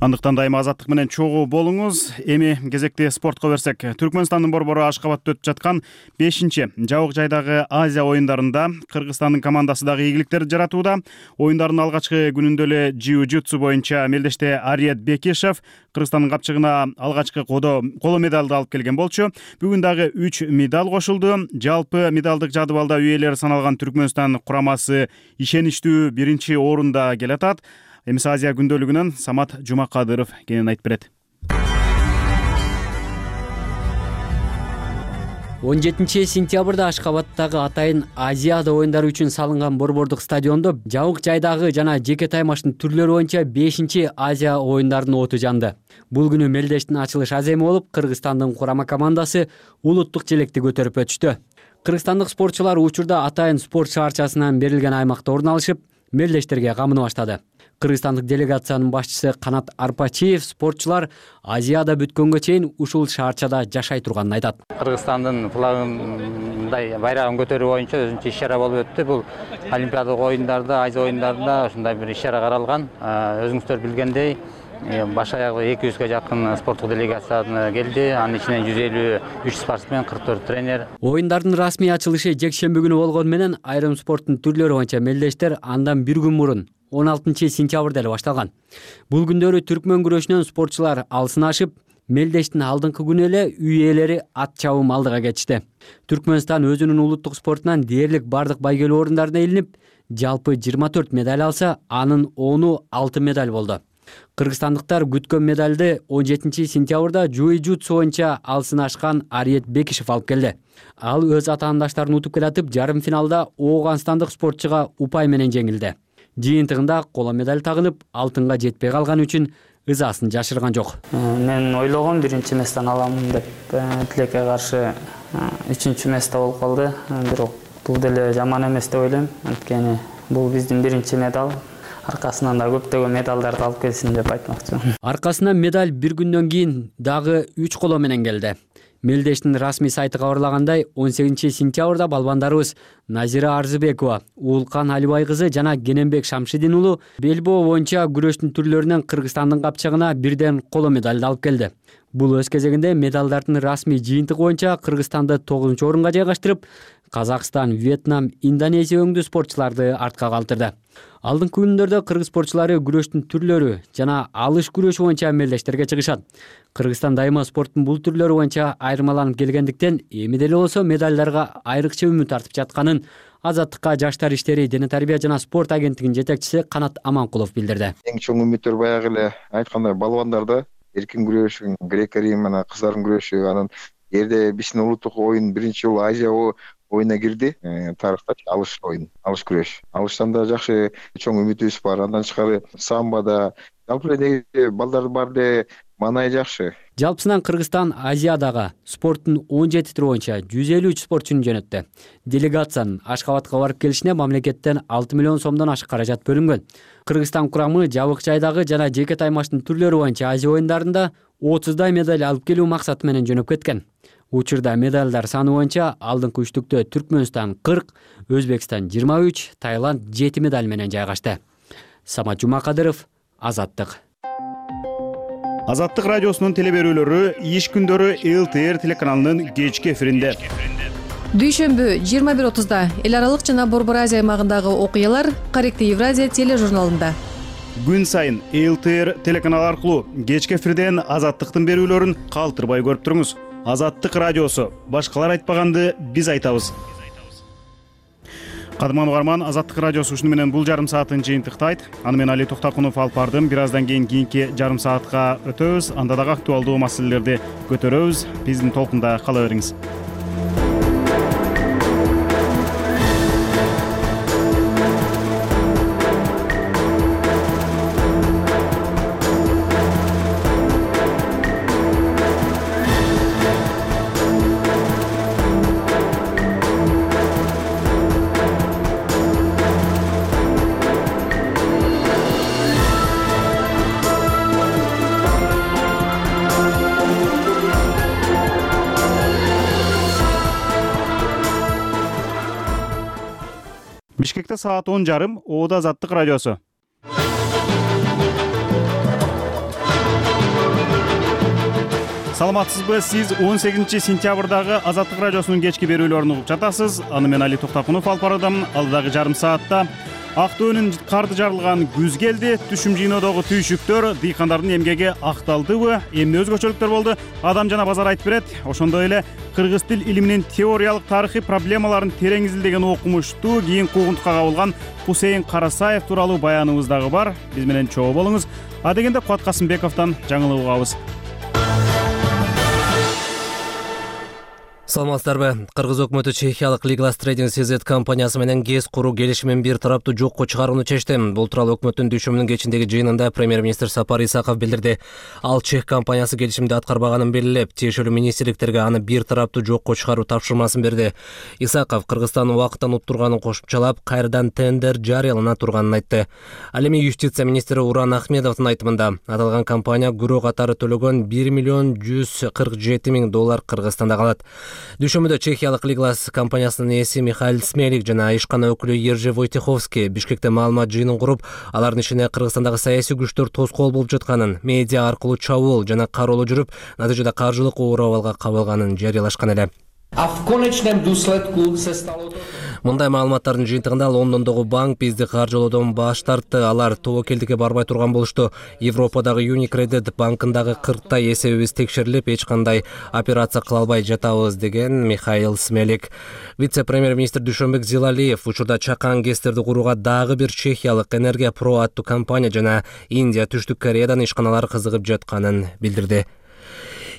Андыктан дайыма Азаттык менен чогуу болуңуз. Эми кезекти спортко берсек, Түркмөнстандын борбору Ашкабадта өтүп жаткан бешинчи жабык жайдагы Азия оюндарында Кыргызстандын командасы дагы ийгиликтер жаратууда. Оюндардын алгачкы күнүндө эле джиу-джитсу боюнча мелдеште Ариет Бекишев Кыргызстандын капчыгына алгачкы коло медалды алып келген болчу. Бүгүн дагы үч медаль кошулду. Жалпы медалдык жадыбалда үйелери саналган Түркмөнстан курамасы ишеничтүү биринчи орунда келатат. Эмис Азия күндөлүгүнөн Самат Жумакадыров кенен айтып берет. он жетинчи сентябрда Ашкабадтагы атайын Азиада оюндары үчүн салынган борбордук стадиондо жабык жайдагы жана жеке таймаштын түрлөрү боюнча бешинчи Азия оюндарынын оту жанды. Бул күнү мелдештин ачылыш аземи болуп, Кыргызстандын курама командасы улуттук желекти көтөрүп өтүштү. Кыргызстандык спортчулар учурда атайын спорт шаарчасынан берилген аймакта орун алышып, мелдештерге камыны баштады. Кыргызстандык делегациянын башчысы Канат Арпачиев спортчулар Азияда бүткөнгө чейин ушул шаарчада жашай турганын айтат. Кыргызстандын флагындай байрагын көтөрүү боюнча өзүнчө иш-чара болуп өттү. Бул Олимпиадалык оюндарда, Азия оюндарында ушундай бир иш-чара каралган. Өзүңүздөр билгендей, баш аягы эки жүзгө жакын спорттук делегация келди. Анын ичинен жүз элүү үч спортсмен, кырк төрт тренер. Оюндардын расмий ачылышы жекшемби күнү болгону менен айрым спорттун түрлөрү боюнча мелдештер андан бир күн мурун он алтынчы сентябрда эле башталган. Бул күндөрү түркмөн күрөшүнөн спортчулар алсын ашып, мелдештин алдыңкы күнү эле үй ээлери ат чабым алдыга кетишти. Түркмөнстан өзүнүн улуттук спортунан дээрлик бардык байгелүү орундарына илинип, жалпы жыйырма төрт медаль алса, анын ону алтын медаль болду. Кыргызстандыктар күткөн медалды он жетинчи сентябрда джиу-джитсу боюнча алсын ашкан Ариет Бекишев алып келди. Ал өз атаандаштарын утуп келатып, жарым финалда Ооганстандык спортчуга упай менен жеңилди. Жыйынтыгында коло медаль тагынып, алтынга жетпей калган үчүн ызасын жашырган жок. Мен ойлогом биринчи местен аламын деп, тилекке каршы үчүнчү месте болуп калды. Бирок бул деле жаман эмес деп ойлойм. Анткени бул биздин биринчи медаль. Аркасынан да көптөгөн медалдарды алып келсин деп айтмакчымын. Аркасынан медаль бир күндөн кийин дагы үч коло менен келди. Мелдештин расмий сайты кабарлагандай, он сегизинчи сентябрда балбандарыбыз Назира Арзыбекова, Уулкан Алибай кызы жана Кененбек Шамшидин уулу белбоо боюнча күрөштүн түрлөрүнөн Кыргызстандын капчыгына бирден коло медальды алып келди. Бул өз кезегинде медалдардын расмий жыйынтыгы боюнча Кыргызстанды тогузунчу орунга жайгаштырып, Казакстан, Вьетнам, Индонезия өңдүү спортчуларды артка калтырды. Алдыңкы күндөрдө кыргыз спортчулары күрөштүн түрлөрү жана алыш күрөшү боюнча мелдештерге чыгышат. Кыргызстан дайыма спорттун бул түрлөрү боюнча айырмаланып келгендиктен, эми деле болсо медальдарга айрыкча үмүт артып жатканын Азаттыкка жаштар иштери, дене тарбия жана спорт агенттигинин жетекчиси Канат Аманкулов билдирди. Эң чоң үмүттөр баягы эле айткандай балбандарда эркин күрөш, грек-рим менен кыздардын күрөшү, анан эрде биздин улуттук оюн биринчи жолу Азия оюна кирди. Тарыхта алыш оюн, алыш күрөш. Алыштан да жакшы чоң үмүтүбүз бар. Андан тышкары самбода жалпы эле балдар бар де маанай жакшы. Жалпысынан Кыргызстан Азиядагы спорттун он жети түрү боюнча жүз элүү үч спортчуну жөнөттү. Делегациянын Ашкабадка барып келишине мамлекеттен алты миллион сомдон ашык каражат бөлүнгөн. Кыргызстан курамы жабык жайдагы жана жеке таймаштын түрлөрү боюнча Азия оюндарында отуздай медаль алып келүү максаты менен жөнөп кеткен. Учурда медальдар саны боюнча алдыңкы үчтүктө Түркмөнстан кырк, Өзбекстан жыйырма үч, Таиланд жети медаль менен жайгашты. Самат Жумакадыров, Азаттык. Азаттык радиосунун телеберүүлөрү иш күндөрү эл тэ эр телеканалынын кечки эфиринде. Дүйшөмбү жыйырма бир отузда эл аралык жана Борбор Азия аймагындагы окуялар Корректив Евразия тележурналында. Күн сайын эл тэ эр телеканалы аркылуу кечки эфирден Азаттыктын берүүлөрүн калтырбай көрүп туруңуз. Азаттык радиосу. Башкалар айтпаганды биз айтабыз. Кадырман угарман, Азаттык радиосу ушуну менен бул жарым саатын жыйынтыктайт. Аны мен Али Токтакунов алып бардым. Бир аздан кийин кийинки жарым саатка өтөбүз. Анда дагы актуалдуу маселелерди көтөрөбүз. Биздин толкунда кала бериңиз. Бишкекте саат он жарым, Оода Азаттык радиосу. Саламатсызбы? Сиз он сегизинчи сентябрдагы Азаттык радиосунун кечки берүүлөрүн угуп жатасыз. Аны мен Али Токтакунов алып барадым. Алдыдагы жарым саатта Актөөнүн карды жарылган күз келди. Түшүм жыйноодогу түйшүктөр дыйкандардын эмгеги акталдыбы? Эмне өзгөчөлүктөр болду? Адам жана базар айтып берет. Ошондой эле кыргыз тил илиминин теориялык тарыхый проблемаларын терең изилдеген окумуштуу кийин куугунтукка кабылган Хусейин Карасаев тууралуу баяныбыз дагы бар. Биз менен чогуу болуңуз. А дегенде Кубат Касымбековдон жаңылык угабыз. Саламатсыздарбы? Кыргыз өкмөтү чехиялык Legal Trading си зет компаниясы менен ГЭС куруу келишимин бир тараптуу жокко чыгарууну чечти. Бул тууралуу өкмөттүн дүйшөмүнүн кечиндеги жыйынында премьер-министр Сапар Исаков билдирди. Ал чех компаниясы келишимди аткарбаганын белгилеп, тиешелүү министрликтерге аны бир тараптуу жокко чыгаруу тапшырмасын берди. Исаков Кыргызстан убакыттан уттурганын кошумчалап, кайрадан тендер жарыялана турганын айтты. Ал эми юстиция министри Уран Ахмедовдун айтымында, аталган компания күрөө катары төлөгөн бир миллион жүз кырк жети миң доллар Кыргызстанда калат. Дүйшөмбүдө чехиялык Legal компаниясынын ээси Михаил Смелик жана ишкана өкүлү Ержи Войтеховский Бишкекте маалымат жыйынын куруп, алардын ишине Кыргызстандагы саясий күчтөр тоскоол болуп жатканын, медиа аркылуу чабуул жана кароолоо жүрүп, натыйжада каржылык оор абалга кабылганын жарыялашкан эле. Мындай маалыматтардын жыйынтыгында Лондондогу банк бизди каржылоодон баш тартты. Алар тобокелдикке барбай турган болушту. Европадагы Unicredit банкындагы кырктай эсебибиз текшерилип, эч кандай операция кыла албай жатабыз, деген Михаил Смелик. Вице-премьер-министр Дүйшөнбек Зилалиев учурда чакан ГЭСтерди курууга дагы бир чехиялык Энергия Про аттуу компания жана Индия, Түштүк Кореядан ишканалар кызыгып жатканын билдирди.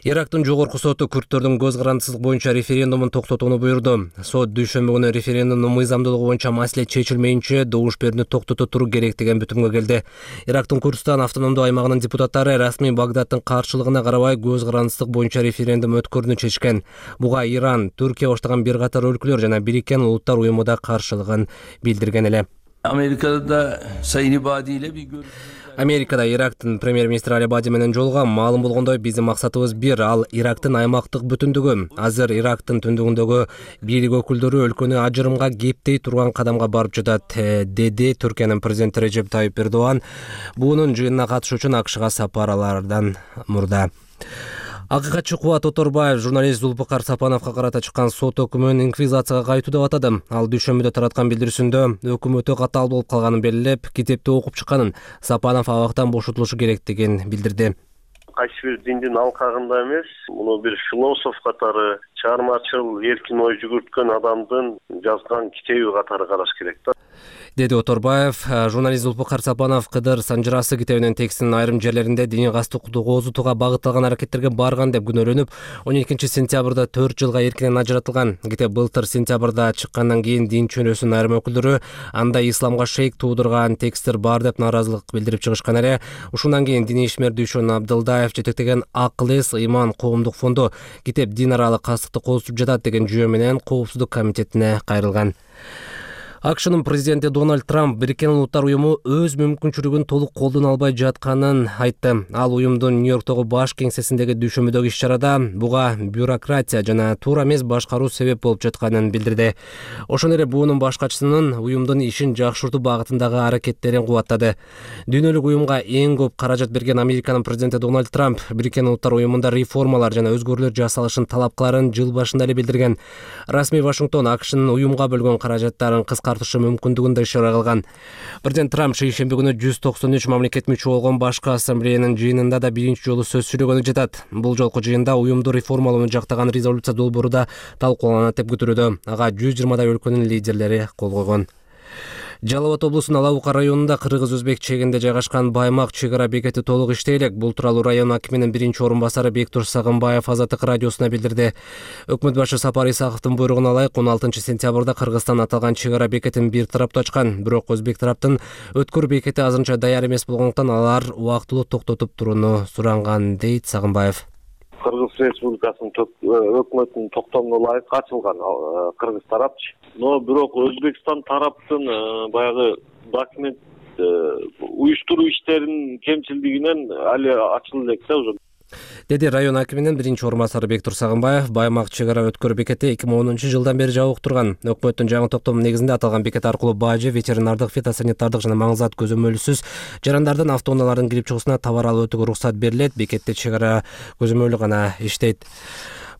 Ирактын жогорку соту күрттөрдүн көз карандысыздык боюнча референдумун токтотууну буйрду. Сот дүйшөмбү күнү референдумдун мыйзамдуулугу боюнча маселе чечилмейинче добуш берүүнү токтото туруу керек деген бүтүмгө келди. Ирактын Курдистан автономдуу аймагынын депутаттары расмий Багдадтын каршылыгына карабай көз карандысыздык боюнча референдум өткөрүүнү чечкен. Буга Иран, Түркия баштаган бир катар өлкөлөр жана Бириккен Улуттар уюму да каршылыгын билдирген эле. Amerika'da Sayın İbadi ile bir görüşme. Америкада Ирактын премьер-министри Алибади менен жолуган. Маалым болгондой, биздин максатыбыз бир, ал Ирактын аймактык бүтүндүгү. Азыр Ирактын түндүгүндөгү бийлик өкүлдөрү өлкөнү ажырымга кептей турган кадамга барып жатат, деди Түркиянын президенти Режеп Тайип Эрдоган буунун жыйынына катышуу үчүн АКШга сапар алардан мурда. Акыйкатчы Кубат Оторбаев журналист Зулпукар Сапановго карата чыккан сот өкүмүн инквизицияга кайтуу деп атады. Ал дүйшөмбүдө тараткан билдирүүсүндө өкүм өтө катаал болуп калганын белгилеп, китепти окуп чыкканын, Сапанов абактан бошотулушу керектигин билдирди. Кайсы бир диндин алкагында эмес, муну бир философ катары, чыгармачыл эркин ой жүгүрткөн адамдын жазган китеби катары караш керек да, деди Оторбаев. Журналист Зулпукар Сапанов Кыдыр Санжырасы китебинин текстинин айрым жерлеринде дини кастыкты козутууга багытталган аракеттерге барган деп күнөөлөнүп, он экинчи сентябрда төрт жылга эркинен ажыратылган. Китеп былтыр сентябрда чыккандан кийин дин чөнөөсүнүн айрым өкүлдөрү анда исламга шейк туудурган тексттер бар деп нааразылык билдирип чыгышкан эле. Ушундан кийин диний ишмер Дүйшөн Абдылдаев жетектеген Акыл-эс Ыйман коомдук фонду китеп дин аралык кастыкты козутуп жатат деген жүйө менен Коопсуздук комитетине кайрылган. АКШнын президенти Дональд Трамп Бириккен Улуттар уюму өз мүмкүнчүлүгүн толук колдоно албай жатканын айтты. Ал уюмдун Нью-Йорктогу баш кеңсесиндеги дүйшөмбүдөгү иш-чарада буга бюрократия жана туура эмес башкаруу себеп болуп жатканын билдирди. Ошондой эле буунун башкачысынын уюмдун ишин жакшыртуу багытындагы аракеттерин кубаттады. Дүйнөлүк уюмга эң көп каражат берген Американын президенти Дональд Трамп Бириккен Улуттар уюмунда реформалар жана өзгөрүүлөр жасалышын талап кыларын жыл башында эле билдирген. Расмий Вашингтон АКШнын уюмга бөлгөн каражаттарын кыска тартышы мүмкүндүгүн да ишара кылган. Президент Трамп шейшемби күнү жүз токсон үч мамлекет мүчө болгон башкы ассамблеянын жыйынында да биринчи жолу сөз сүйлөгөнү жатат. Бул жолку жыйында уюмду реформалоону жактаган резолюция долбоору да талкууланат деп күтүлүүдө. Ага жүз жыйырмадай өлкөнүн лидерлери кол койгон. Жалал Абад облусунун Алабука районунда кыргыз-өзбек чегинде жайгашкан Баймак чек ара бекети толук иштей элек. Бул тууралуу район акиминин биринчи орун басары Бектур Сагынбаев Азаттык радиосуна билдирди. Өкмөт башы Сапар Исаковдун буйругуна ылайык он алтынчы сентябрда Кыргызстан аталган чек ара бекетин бир тараптуу ачкан. Бирок өзбек тараптын өткөр бекети азырынча даяр эмес болгондуктан алар убактылуу токтотуп турууну суранган, дейт Сагынбаев. Кыргыз Республикасынын өкмөтүнүн токтомуна ылайык ачылган кыргыз тарапчы. Но бирок Өзбекстан тараптын баягы документ уюштуруу иштеринин кемчилдигинен али ачыла элек да уже. Деди район акиминин биринчи орун басары Бектур Сагынбаев. Баймак чек ара өткөр бекети эки миң онунчу жылдан бери жабык турган. Өкмөттүн жаңы токтомунун негизинде аталган бекет аркылуу бажы, ветеринардык, фитосанитардык жана маңызат көзөмөлсүз жарандардын автоунаалардын кирип чыгуусуна товар алып өтүүгө уруксат берилет. Бекетте чек ара көзөмөлү гана иштейт.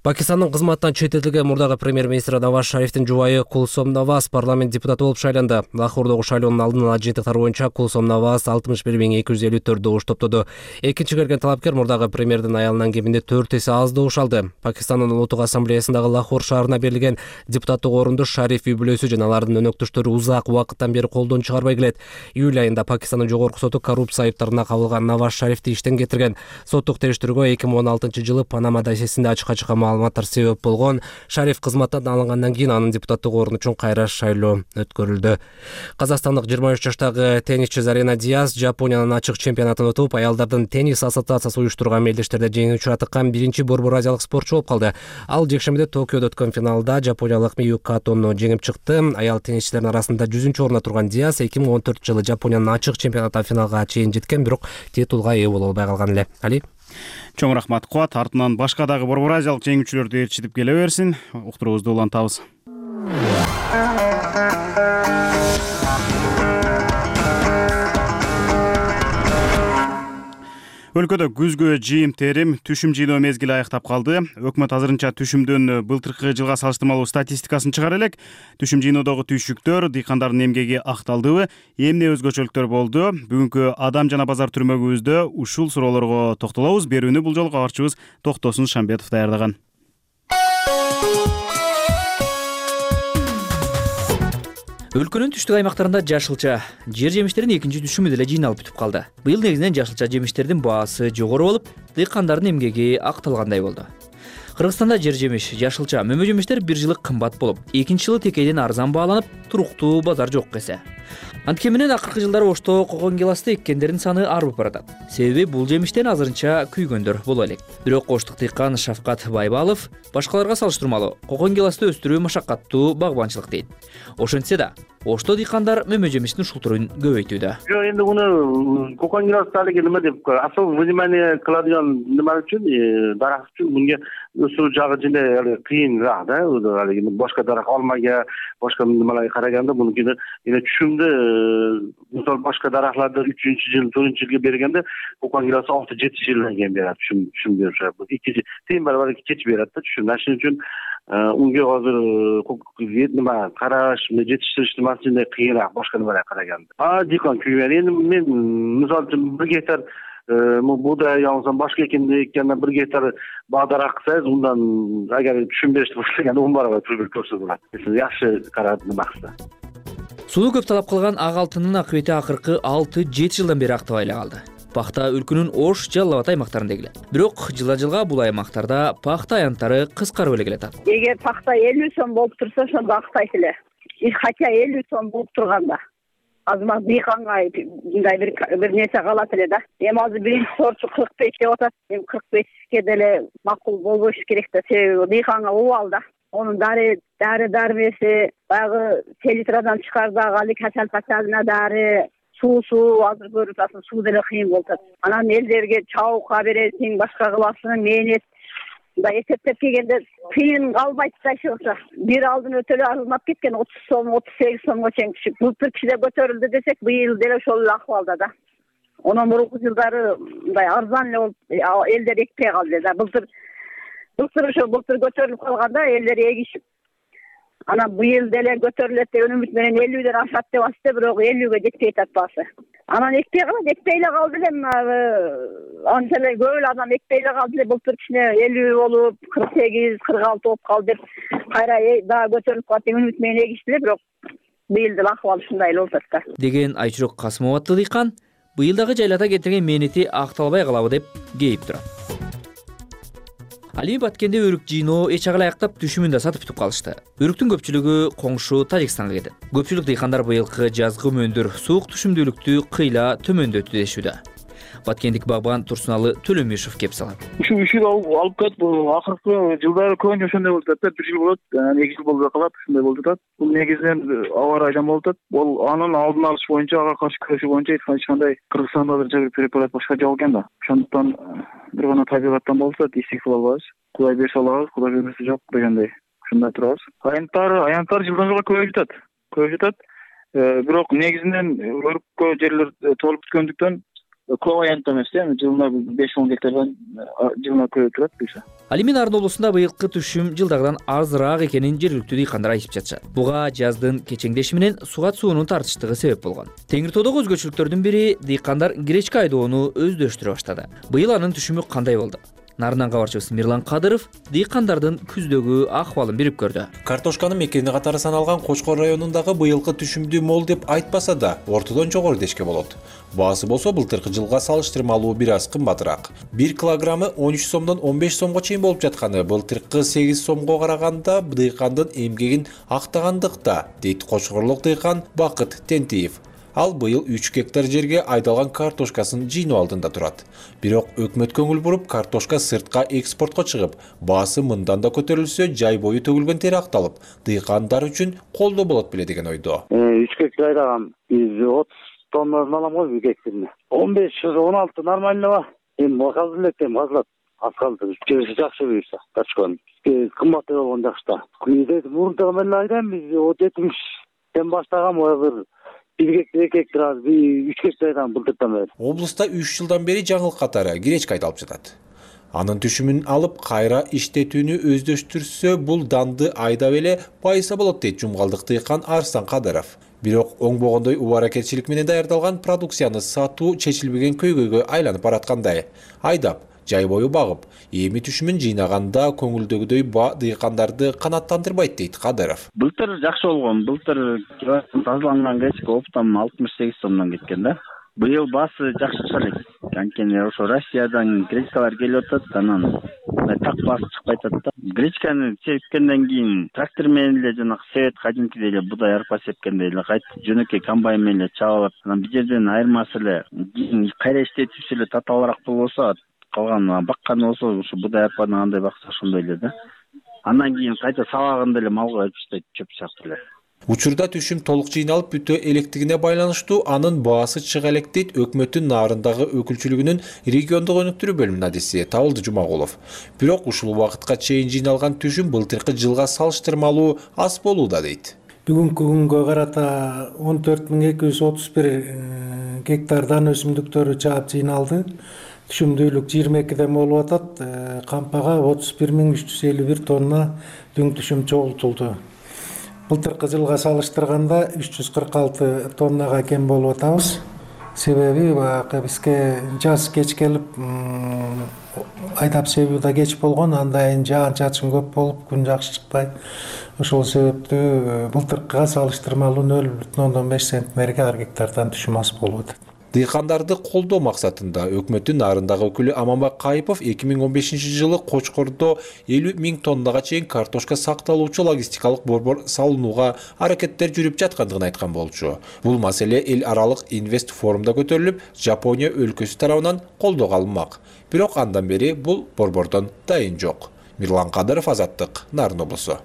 Пакистандын кызматтан чететилген мурдагы премьер-министр Наваз Шарифтин жубайы Кулсом Наваз парламент депутаты болуп шайланды. Лахордогу шайлоонун алдын ала жыйынтыктары боюнча Кулсом Наваз алтымыш бир миң эки жүз элүү төрт добуш топтоду. Экинчи келген талапкер мурдагы премьердин аялынан кеминде төрт эсе аз добуш алды. Пакистандын Улуттук ассамблеясындагы Лахор шаарына берилген депутаттык орунду Шариф үй бүлөсү жана алардын өнөктөштөрү узак убакыттан бери колдон чыгарбай келет. Июль айында Пакистандын жогорку соту коррупция айыптарына кабылган Наваз Шарифти иштен кетирген. Соттук териштирүүгө эки миң он алтынчы жылы Панама досьесинде ачык-ачык маалыматтар себеп болгон. Шариф кызматтан алынгандан кийин анын депутаттык орун үчүн кайра шайлоо өткөрүлдү. Казакстандык жыйырма үч жаштагы теннисчи Зарина Диаз Жапониянын ачык чемпионатын утуп, аялдардын теннис ассоциациясы уюштурган мелдештерде жеңүүчү атыккан биринчи борбор азиялык спортчу болуп калды. Ал жекшембиде Токиодо өткөн финалда жапониялык Мию Катону жеңип чыкты. Аял теннисчилердин арасында жүзүнчү орунда турган Диаз эки миң он төртүнчү жылы Жапониянын ачык чемпионатында финалга чейин жеткен, бирок титулга ээ боло албай калган эле. Али Чоң рахмат Куат. Артынан башка дагы борбор азиялык жеңүүчүлөрдү ээрчитип келе берсин. Уктуруубузду улантабыз. Өлкөдө күзгү жыйым терим, түшүм жыйноо мезгили аяктап калды. Өкмөт азырынча түшүмдүн былтыркы жылга салыштырмалуу статистикасын чыгара элек. Түшүм жыйноодогу түйшүктөр, дыйкандардын эмгеги акталдыбы, эмне өзгөчөлүктөр болду? Бүгүнкү адам жана базар түрмөгүбүздө ушул суроолорго токтолобуз. Берүүнү бул жолку кабарчыбыз Токтосун Шамбетов даярдаган. Өлкөнүн түштүк аймактарында жашылча жер жемиштердин экинчи түшүмү деле жыйналып бүтүп калды. Быйыл негизинен жашылча жемиштердин баасы жогору болуп, дыйкандардын эмгеги акталгандай болду. Кыргызстанда жер жемиш, жашылча, мөмө жемиштер бир жылы кымбат болуп, экинчи жылы текейден арзан бааланып, туруктуу базар жок эсе. Анткени менен акыркы жылдары Ошто кокон гиласты эккендердин саны арбып баратат. Себеби бул жемиштен азырынча күйгөндөр боло элек. Бирок оштук дыйкан Шавкат Байбалов башкаларга салыштырмалуу кокон гиласты өстүрүү машаккаттуу багбанчылык дейт. Ошентсе да Ошто дыйкандар мөмө жемиштин ушул түрүн көбөйтүүдө. Жок, энди муну кокон гиласты алиги неме деп особо внимание кылadigan неме үчүн, дарак үчүн мунга өсүрүү жагы деле кыйыныраак да. Алиги башка дарак алмага, башка немелерге караганда мунукине эне түшүмдө мисалы башка даракларды үчүнчү жыл, төртүнчү жылга бергенде кокон гиласы алты жети жылдан кийин берет түшүм түшүм беришет. эки тыйын барабар кеч берет да түшүм. Ошон үчүн унга азыр неме караш, жетиштиришти маселе кыйыныраак башка немелерге караганда. А дыйкан күйгөн. Эndi мен мисалы үчүн бир гектар буудай алсам, башка экенди эккенде бир гектар бадарак кылсаңыз, ундан агар түшүм беришти баштаганда он барабар көбүрөөк көрсө болот. Жакшы карап неме кылса. Сууну көп талап кылган ак алтындын акыбети акыркы алты жети жылдан бери актабай эле калды. Пахта өлкөнүн Ош, Жалал Абад аймактарында келет. Бирок жылдан жылга бул аймактарда пахта аянттары кыскарып эле келатат. Эгер пахта элүү сом болуп турса, ошондо актайт эле. Хотя элүү сом болуп турганда азыр дыйканга мындай бир бир нерсе калат эле да. Эми азыр биринчи сортчу кырк беш деп атат. Эми кырк бешке деле макул болбош керек да. Себеби дыйканга убал да. Онун дары дары дармеси баягы селитрадан чыкардагы али качал пачалына дары, суусу азыр көрүп атасың, суу деле кыйын болуп атат. Анан элдерге чабукка бересиң, башка кыласың, мээнет мындай эсептеп келгенде кыйын калбайт да ошо. Бир алдын өтө эле арзанап кеткен, отуз сом, отуз сегиз сомго чейин түшүп. Былтыр кичине көтөрүлдү десек, быйыл деле ошол эле акыбалда да. Онан мурунку жылдары мындай арзан эле болуп элдер экпей калды да. Былтыр былтыр ошо былтыр көтөрүлүп калганда элдер эгишип Анан быйыл деле көтөрүлөт деген үмүт менен элүүдөн ашат деп атты, бирок элүүгө жетпей атат баасы. Анан экпей калат, экпей эле калды эле, анча эле көп эле адам экпей эле калды эле. Былтыр кичине элүү болуп, кырк сегиз, кырк алты болуп калды деп кайра дагы көтөрүлүп калат деген үмүт менен эгишти эле, бирок быйыл деле акыбал ушундай эле болуп атат да. Деген Айчурок Касымова аттуу дыйкан быйылдагы жайлата кетирген мээнети акталбай калабы деп кейип турат. Ал эми Баткенде өрүк жыйноо эч агыл аяктап түшүмүн да сатып бүтүп калышты. Өрүктүн көпчүлүгү коңшу Тажикстанга кетет. Көпчүлүк дыйкандар быйылкы жазгы мөндүр суук түшүмдүүлүктү кыйла төмөндөттү дешүүдө. Баткендик багбан Турсуналы Төлөмишев кеп салат. Ушу үч жыл алып кетип, акыркы жылдары көбүнчө ошондой болуп атат. Бир жыл болот, эки жыл болбой калат, ушундай болуп атат. Бул негизинен аба ырайдан болуп атат. Бул анын алдын алыш боюнча, ага каршы күрөшүү боюнча эч кандай Кыргызстанда бир препарат башка жок экен да. Ошондуктан бир гана табигаттан болуп атат, истик кыла албайбыз. Кудай берсе алабыз, Кудай бермесе жок дегендей. Ушундай турабыз. Аянттар, аянттар жылдан жылга көбөйүп жатат. Көбөйүп жатат. Бирок негизинен өрүккө жерлер толуп бүткөндүктөн көп аянт эмес, эми жылына беш он гектардан жылына көбөйүп турат буюрса. Ал эми Нарын облусунда быйылкы түшүм жылдагыдан азыраак экенин жергиликтүү дыйкандар айтып жатышат. Буга жаздын кечеңдеши менен сугат суунун тартыштыгы себеп болгон. Теңир тоодогу өзгөчөлүктөрдүн бири дыйкандар гречка айдоону өздөштүрө баштады. Быйыл анын түшүмү кандай болду? Нарынан кабарчыбыз Мирлан Кадыров дыйкандардын күздөгү акыбалын бирип көрдү. Картошканын мекени катары саналган Кочкор районундагы быйылкы түшүмдүү мол деп айтпаса да, ортодон жогору дешке болот. Баасы болсо былтыркы жылга салыштырмалуу бир аз кымбатыраак. бир килограммы он үч сомдон он беш сомго чейин болуп жатканы былтыркы сегиз сомго караганда дыйкандын эмгегин актагандыкта, дейт кочкорлук дыйкан Бакыт Тентиев. Ал быйыл үч гектар жерге айдалган картошкасын жыйноо алдында турат. Бирок өкмөт көңүл буруп, картошка сыртка экспортко чыгып, баасы мындан да көтөрүлсө, жай бою төгүлгөн тери акталып, дыйкандар үчүн колдоо болот беле деген ойдо. үч гектар айдагам, биз отуз тоннадан алам го бир гектарына. он беш он алты нормальныйба. Эми макал элек эми азлап аскалды. Жебеси жакшы буюрса, картошканын. Кымбаты болгон жакшы да. Күндө мурунтагы эле айдайм, биз жетимиштен баштагам, бир бир гектар, эки гектар, үч гектар айдагам былтырдан бери. Облуста үч жылдан бери жаңылык катары гречка айдалып жатат. Анын түшүмүн алып, кайра иштетүүнү өздөштүрсө, бул данды айдап эле байыса болот дейт жумгалдык дыйкан Арстан Кадыров. Бирок оңбогондой убаракетчилик менен даярдалган продукцияны сатуу чечилбеген көйгөйгө айланып бараткандай. Айдап, жай бою багып, эми түшүмүн жыйнаганда көңүлдөгүдөй ба дыйкандарды канааттандырбайт дейт Кадыров. Былтыр жакшы болгон, былтыр тазаланган гречка оптом алтымыш сегиз сомдон кеткен да. Быйыл баасы жакшы чыга элек. Анткени ошо Россиядан гречкалар келип атат, анан так баасы чыкпай атат да. Гречканы сепкенден кийин трактор менен эле жана себет кадимкидей эле будай арпа сепкендей эле кайтып жөнөкөй комбайн менен эле чабып алат. Анан бир жерден айырмасы эле кайра иштетүүсү эле татаалыраак болбосо, калган бакканы болсо ушу будай арпаны андай бакса ошондой эле да. Андан кийин кайта сабагында эле малга өтүп таштайт, чөп чаап эле. Учурда түшүм толук жыйналып бүтө электигине байланыштуу анын баасы чыга элек дейт өкмөттүн Нарындагы өкүлчүлүгүнүн региондук өнүктүрүү бөлүмүнүн адиси Табылды Жумагулов. Бирок ушул убакытка чейин жыйналган түшүм былтыркы жылга салыштырмалуу аз болууда дейт. Бүгүнкү күнгө карата он төрт миң эки жүз отуз бир гектардан өсүмдүктөрү чаап жыйналды. Түшүмдүүлүк жыйырма экиден болуп атат. Кампага отуз бир миң үч жүз элүү бир тонна дүң түшүм чогултулду. Былтыркы жылга салыштырганда үч жүз кырк алты тоннага кем болуп атабыз. Себеби баягы бизге жаз кеч келип, айдап себүү да кеч болгон, андан жаан чачын көп болуп, күн жакшы чыкпай. Ошол себептүү былтыркыга салыштырмалуу нөл бүтүн ондон беш центнерге ар гектардан түшүм аз болуп атат. Дыйкандарды колдоо максатында өкмөттүн Нарындагы өкүлү Аманбек Кайыпов эки миң он бешинчи жылы Кочкордо элүү миң тоннага чейин картошка сакталуучу логистикалык борбор салынууга аракеттер жүрүп жаткандыгын айткан болчу. Бул маселе эл аралык инвест форумда көтөрүлүп, Жапония өлкөсү тарабынан колдоого алынмак. Бирок андан бери бул борбордон дайын жок. Мирлан Кадыров, Азаттык, Нарын облусу.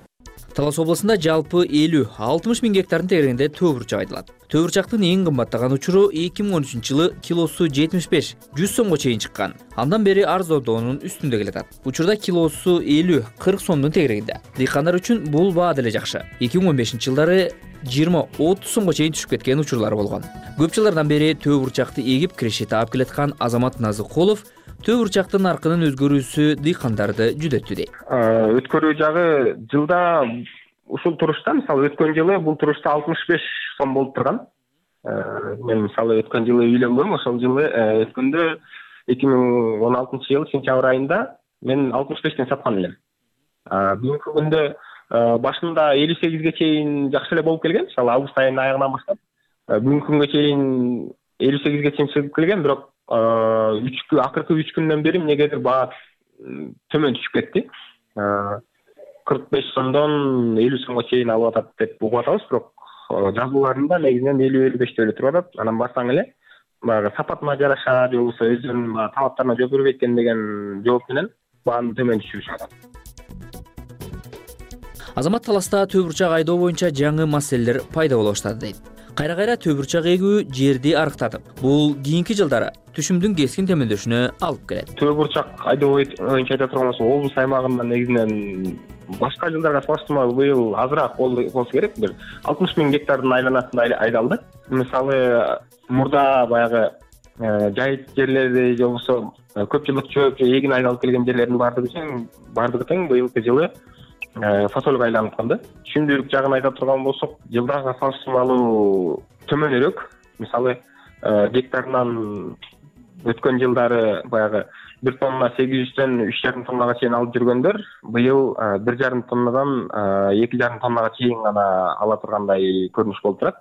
Талас облусунда жалпы элүү алтымыш миң гектардын тегерегинде төө бурчак айдалат. Төө бурчактын эң кымбаттаган учуру эки миң он үчүнчү жылы килосу жетимиш беш жүз сомго чейин чыккан. Андан бери арзондоонун үстүндө келатат. Учурда килосу элүү кырк сомдун тегерегинде. Дыйкандар үчүн бул баа деле жакшы. эки миң он бешинчи жылдары жыйырма отуз сомго чейин түшүп кеткен учурлары болгон. Көп жылдардан бери төө бурчакты эгип киреши таап келаткан Азамат Назыкулов төө бурчактын наркынын өзгөрүүсү дыйкандарды жүдөттү дейт. Өткөрүү жагы жылда ушул турушта мисалы өткөн жылы бул турушта алтымыш беш сом болуп турган. Мен мисалы өткөн жылы үйлөнгөм, ошол жылы өткөндө эки миң он алтынчы жылы сентябрь айында мен алтымыш бештен саткан элем. Бүгүнкү күндө башында элүү сегизге чейин жакшы эле болуп келген, мисалы август айынын аягынан баштап бүгүнкү күнгө чейин элүү сегизге чейин чыгып келген, бирок үч акыркы үч күндөн бери эмнегедир баа төмөн түшүп кетти. кырк беш сомдон элүү сомго чейин алып атат деп угуп атабыз, бирок жазууларында негизинен элүү элүү беште эле туруп атат. Анан барсаң эле баягы сапатына жараша же болбосо өзүнүн талаптарына жооп бербейт экен деген жооп менен бааны төмөн түшүрүшүп атат. Азамат таласта төө бурчак айдоо боюнча жаңы маселелер пайда боло баштады дейт. Кайра-кайра төө бурчак эгүү жерди арыктатып, бул кийинки жылдары түшүмдүн кескин төмөндөшүнө алып келет. Төө бурчак айдоо боюнча айта турган болсок, облус аймагында негизинен башка жылдарга салыштырмалуу быйыл азыраак болсо керек, бир алтымыш миң гектардын айланасында айдалды. Мисалы мурда баягы жайыт жерлерди же болбосо көп жылдык чөп же эгин айдалып келген жерлердин баардыгы тең баардыгы тең быйылкы жылы фасольго айланып калды. Түшүмдүүлүк жагын айта турган болсок, жылдарга салыштырмалуу төмөнүрөөк. Мисалы гектарынан өткөн жылдары баягы бир тонна сегиз жүздөн үч жарым тоннага чейин алып жүргөндөр быйыл бир жарым тоннадан эки жарым тоннага чейин гана ала тургандай көрүнүш болуп турат.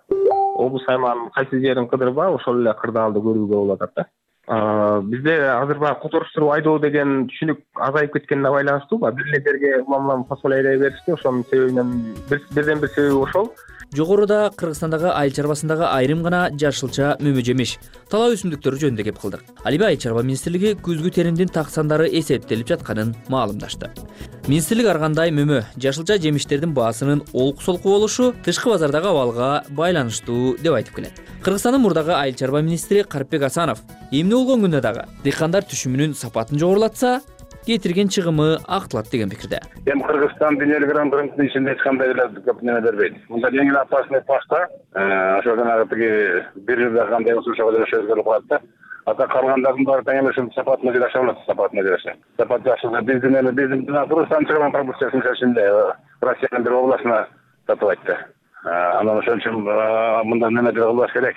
Облус аймагынын кайсы жерин кыдырба ошол эле кырдаалды көрүүгө болуп атат да. Бизде азыр баягы которуштуруп айдоо деген түшүнүк азайып кеткенине байланыштуу бир эле жерге улам-улам фасоль айдай беришти. Ошонун себебинен бирден бир себеби ошол. Жогоруда Кыргызстандагы айыл чарбасындагы айрым гана жашылча мөмө жемиш, талаа өсүмдүктөрү жөнүндө кеп кылдык. Ал эми Айыл чарба министрлиги күзгү теримдин так сандары эсептелип жатканын маалымдашты. Министрлик ар кандай мөмө, жашылча жемиштердин баасынын олку-солку болушу тышкы базардагы абалга байланыштуу деп айтып келет. Кыргызстандын мурдагы айыл чарба министри Карипбек Асанов эмне болгон күндө дагы дыйкандар түшүмүнүн сапатын жогорулатса, кетирген чыгымы актылат деген пикирде. Эми Кыргызстан дүйнөлүк рынокунун ичинде эч кандай эле көп неме бербейт. Мында эң эле опасный пашта, ошо жанагы тиги бир жылда кандай болсо ошого жараша өзгөрүп калат да. Ата калгандардын баары тең эле ушул сапатына жараша болот, сапатына жараша. Сапат жакшы, биздин эми биздин Кыргызстан чыгымын продукциясын ичинде Россиянын бир областына сатып айтты. Анан ошон үчүн мындан немедир кылбаш керек.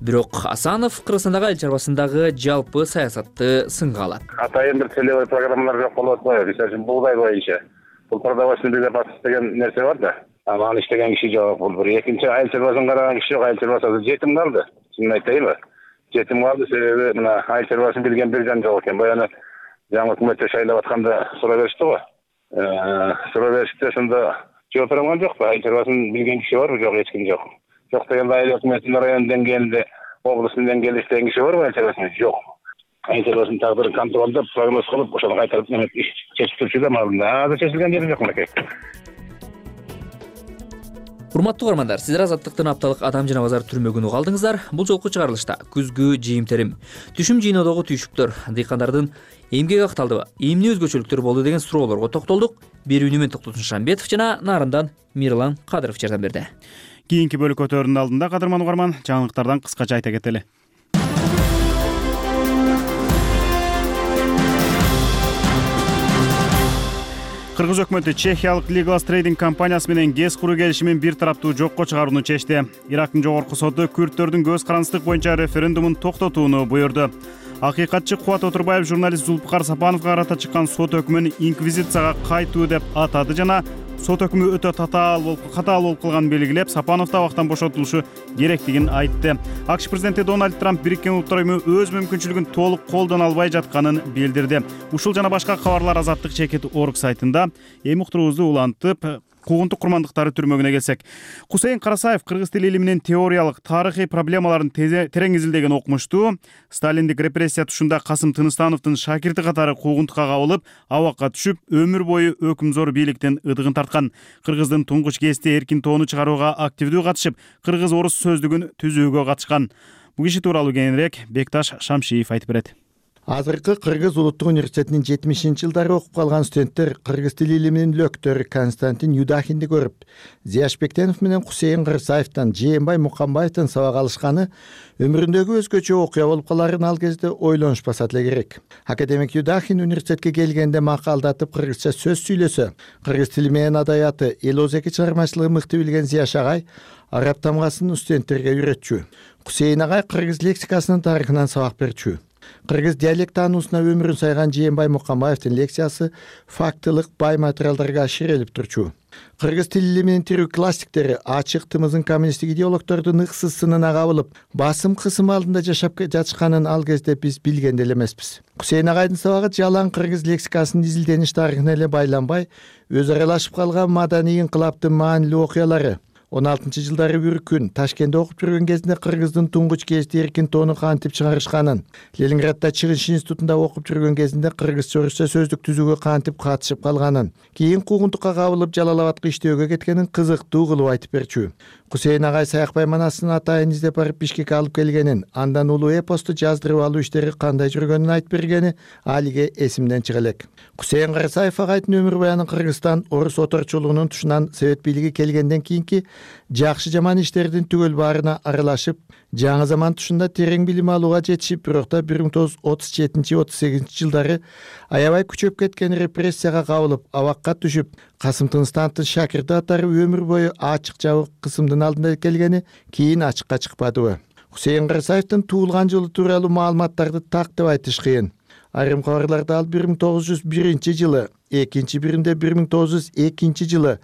Бирок Асанов Кыргызстандагы айыл чарбасындагы жалпы саясатты сынга алат. Атайын бир целевой программалар жок болуп атпайбы? Мисалы үчүн бугдай боюнча. Бул продовольственный безопасность деген нерсе бар да. Аны иштеген киши жок. Бул бир экинчи айыл чарбасын караган киши жок. Айыл чарбасы жетим калды. Чынын айтайынбы? Жетим калды себеби мына айыл чарбасын билген бир жан жок экен. Баягы жаңы өкмөттө шайлап атканда суроо беришти го. Суроо беришти, ошондо жооп бере алган жокпу? Айыл чарбасын билген киши барбы? Жок, эч ким жок. Жок дегенде айыл өкмөтүнүн район деңгээлинде, облустун деңгээлинде иштеген киши барбы? Айыл чарбасын жок. Айыл чарбасынын тагдырын контролдоп, прогноз кылып, ошону кайтарып чечип турчу да маалында. Азыр чечилген жери жок мынакей. Урматтуу көрөрмандар, сиздер Азаттыктын апталык Адам жана базар түрмөгүн уга алдыңыздар. Бул жолку чыгарылышта күзгү жыйынтерим, түшүм жыйноодогу түйшүктөр, дыйкандардын эмгек акталдыбы, эмне өзгөчөлүктөр болду деген суроолорго токтолдук. Берүүнү мен Токтосун Шамбетов жана Нарындан Мирлан Кадыров жардам берди. Кийинки бөлүк өтөрүнүн алдында кадырман угарман жаңылыктардан кыскача айта кетели. Кыргыз өкмөтү Чехиялык Legal Trading компаниясы менен ГЭС куруу келишимин бир тараптуу жокко чыгарууну чечти. Ирактын жогорку соту күрдтөрдүн көз карандысыздык боюнча референдумун токтотууну буйрду. Акыйкатчы Кубат Отурбаев журналист Зулпукар Сапановго карата чыккан сот өкмүн инквизицияга кайтуу деп атады жана сот өкмү өтө татаал болуп катаал болуп калганын белгилеп, Сапанов табактан бошотулушу керектигин айтты. АКШ президенти Дональд Трамп Бириккен Улуттар уюму өз мүмкүнчүлүгүн толук колдоно албай жатканын билдирди. Ушул жана башка кабарлар Азаттык чекит орг сайтында. Эми уктуруубузду улантып, куугунтук курмандыктары түрмөгүнө келсек. Кусейин Карасаев кыргыз тили илиминин теориялык, тарыхый проблемаларын терең изилдеген окумуштуу. Сталиндик репрессия тушунда Касым Тыныстановдун шакирти катары куугунтукка кабылып, абакка түшүп, өмүр бою өкүмзор бийликтин ыдыгын тарткан. Кыргыздын туңгуч гезити эркин тоону чыгарууга активдүү катышып, кыргыз-орус сөздүгүн түзүүгө катышкан. Бул киши тууралуу кийинирээк Бекташ Шамшиев айтып берет. Азыркы Кыргыз улуттук университетинин жетимишинчи жылдары окуп калган студенттер кыргыз тили илиминин лөктөрү Константин Юдахинди көрүп, Зияшбектенов менен Кусейин Кырсаевден, Жээнбай Мукамбаевден сабак алышканы өмүрүндөгү өзгөчө окуя болуп каларын ал кезде ойлонушпаса деле керек. Академик Юдахин университетке келгенде макалдатып кыргызча сөз сүйлөсө, кыргыз тили менен адабияты, эл оозеки чыгармачылыгын мыкты билген Зияш агай араб тамгасын студенттерге үйрөтчү. Кусейин агай кыргыз лексикасынын тарыхынан сабак берчү. Кыргыз диалект таануусуна өмүрүн сайган Жээнбай Мукамбаевдин лекциясы фактылык бай материалдарга аширелип турчу. Кыргыз тил илиминин тирүү классиктери ачык тымызын коммунисттик идеологдордун ыксыз сынына кабылып, басым кысым алдында жашап жатышканын ал кезде биз билген деле эмеспиз. Кусейин агайдын сабагы жалаң кыргыз лексикасынын изилдениш тарыхына эле байланбай, өз аралашып калган маданий инкылаптын маанилүү окуялары, он алтынчы жылдары бир күн Ташкентте окуп жүргөн кезинде кыргыздын туңгуч гезити Эркин тоону кантип чыгарышканын, Ленинградда чыгыш институтунда окуп жүргөн кезинде кыргызча орусча сөздүк түзүүгө кантип катышып калганын, кийин куугунтукка кабылып Жалал-Абадка иштөөгө кеткенин кызыктуу кылып айтып берчү. Кусейин агай Саякбай манасынын атайын издеп барып Бишкекке алып келгенин, андан улуу эпосту жаздырып алуу иштери кандай жүргөнүн айтып бергени алиге эсимден чыга элек. Кусейин Кырсаев агайдын өмүр баянын Кыргызстан орус оторчулугунун тушунан совет бийлиги келгенден кийинки жакшы жаман иштердин түгөл баарына аралашып, жаңы заман тушунда терең билим алууга жетишип, бирок да бир миң тогуз жүз отуз жетинчи отуз сегизинчи жылдары аябай күчөп кеткен репрессияга кабылып, абакка түшүп, Касым Тыныстановдун шакирти атары өмүр бою ачык жабык кысымдын алдында келгени кийин ачыкка чыкпадыбы? Кусейин Кырсаевдин туулган жылы тууралуу маалыматтарды так деп айтыш кыйын. Айрым кабарларда ал бир миң тогуз жүз биринчи жылы, экинчи биринде бир миң тогуз жүз экинчи жылы,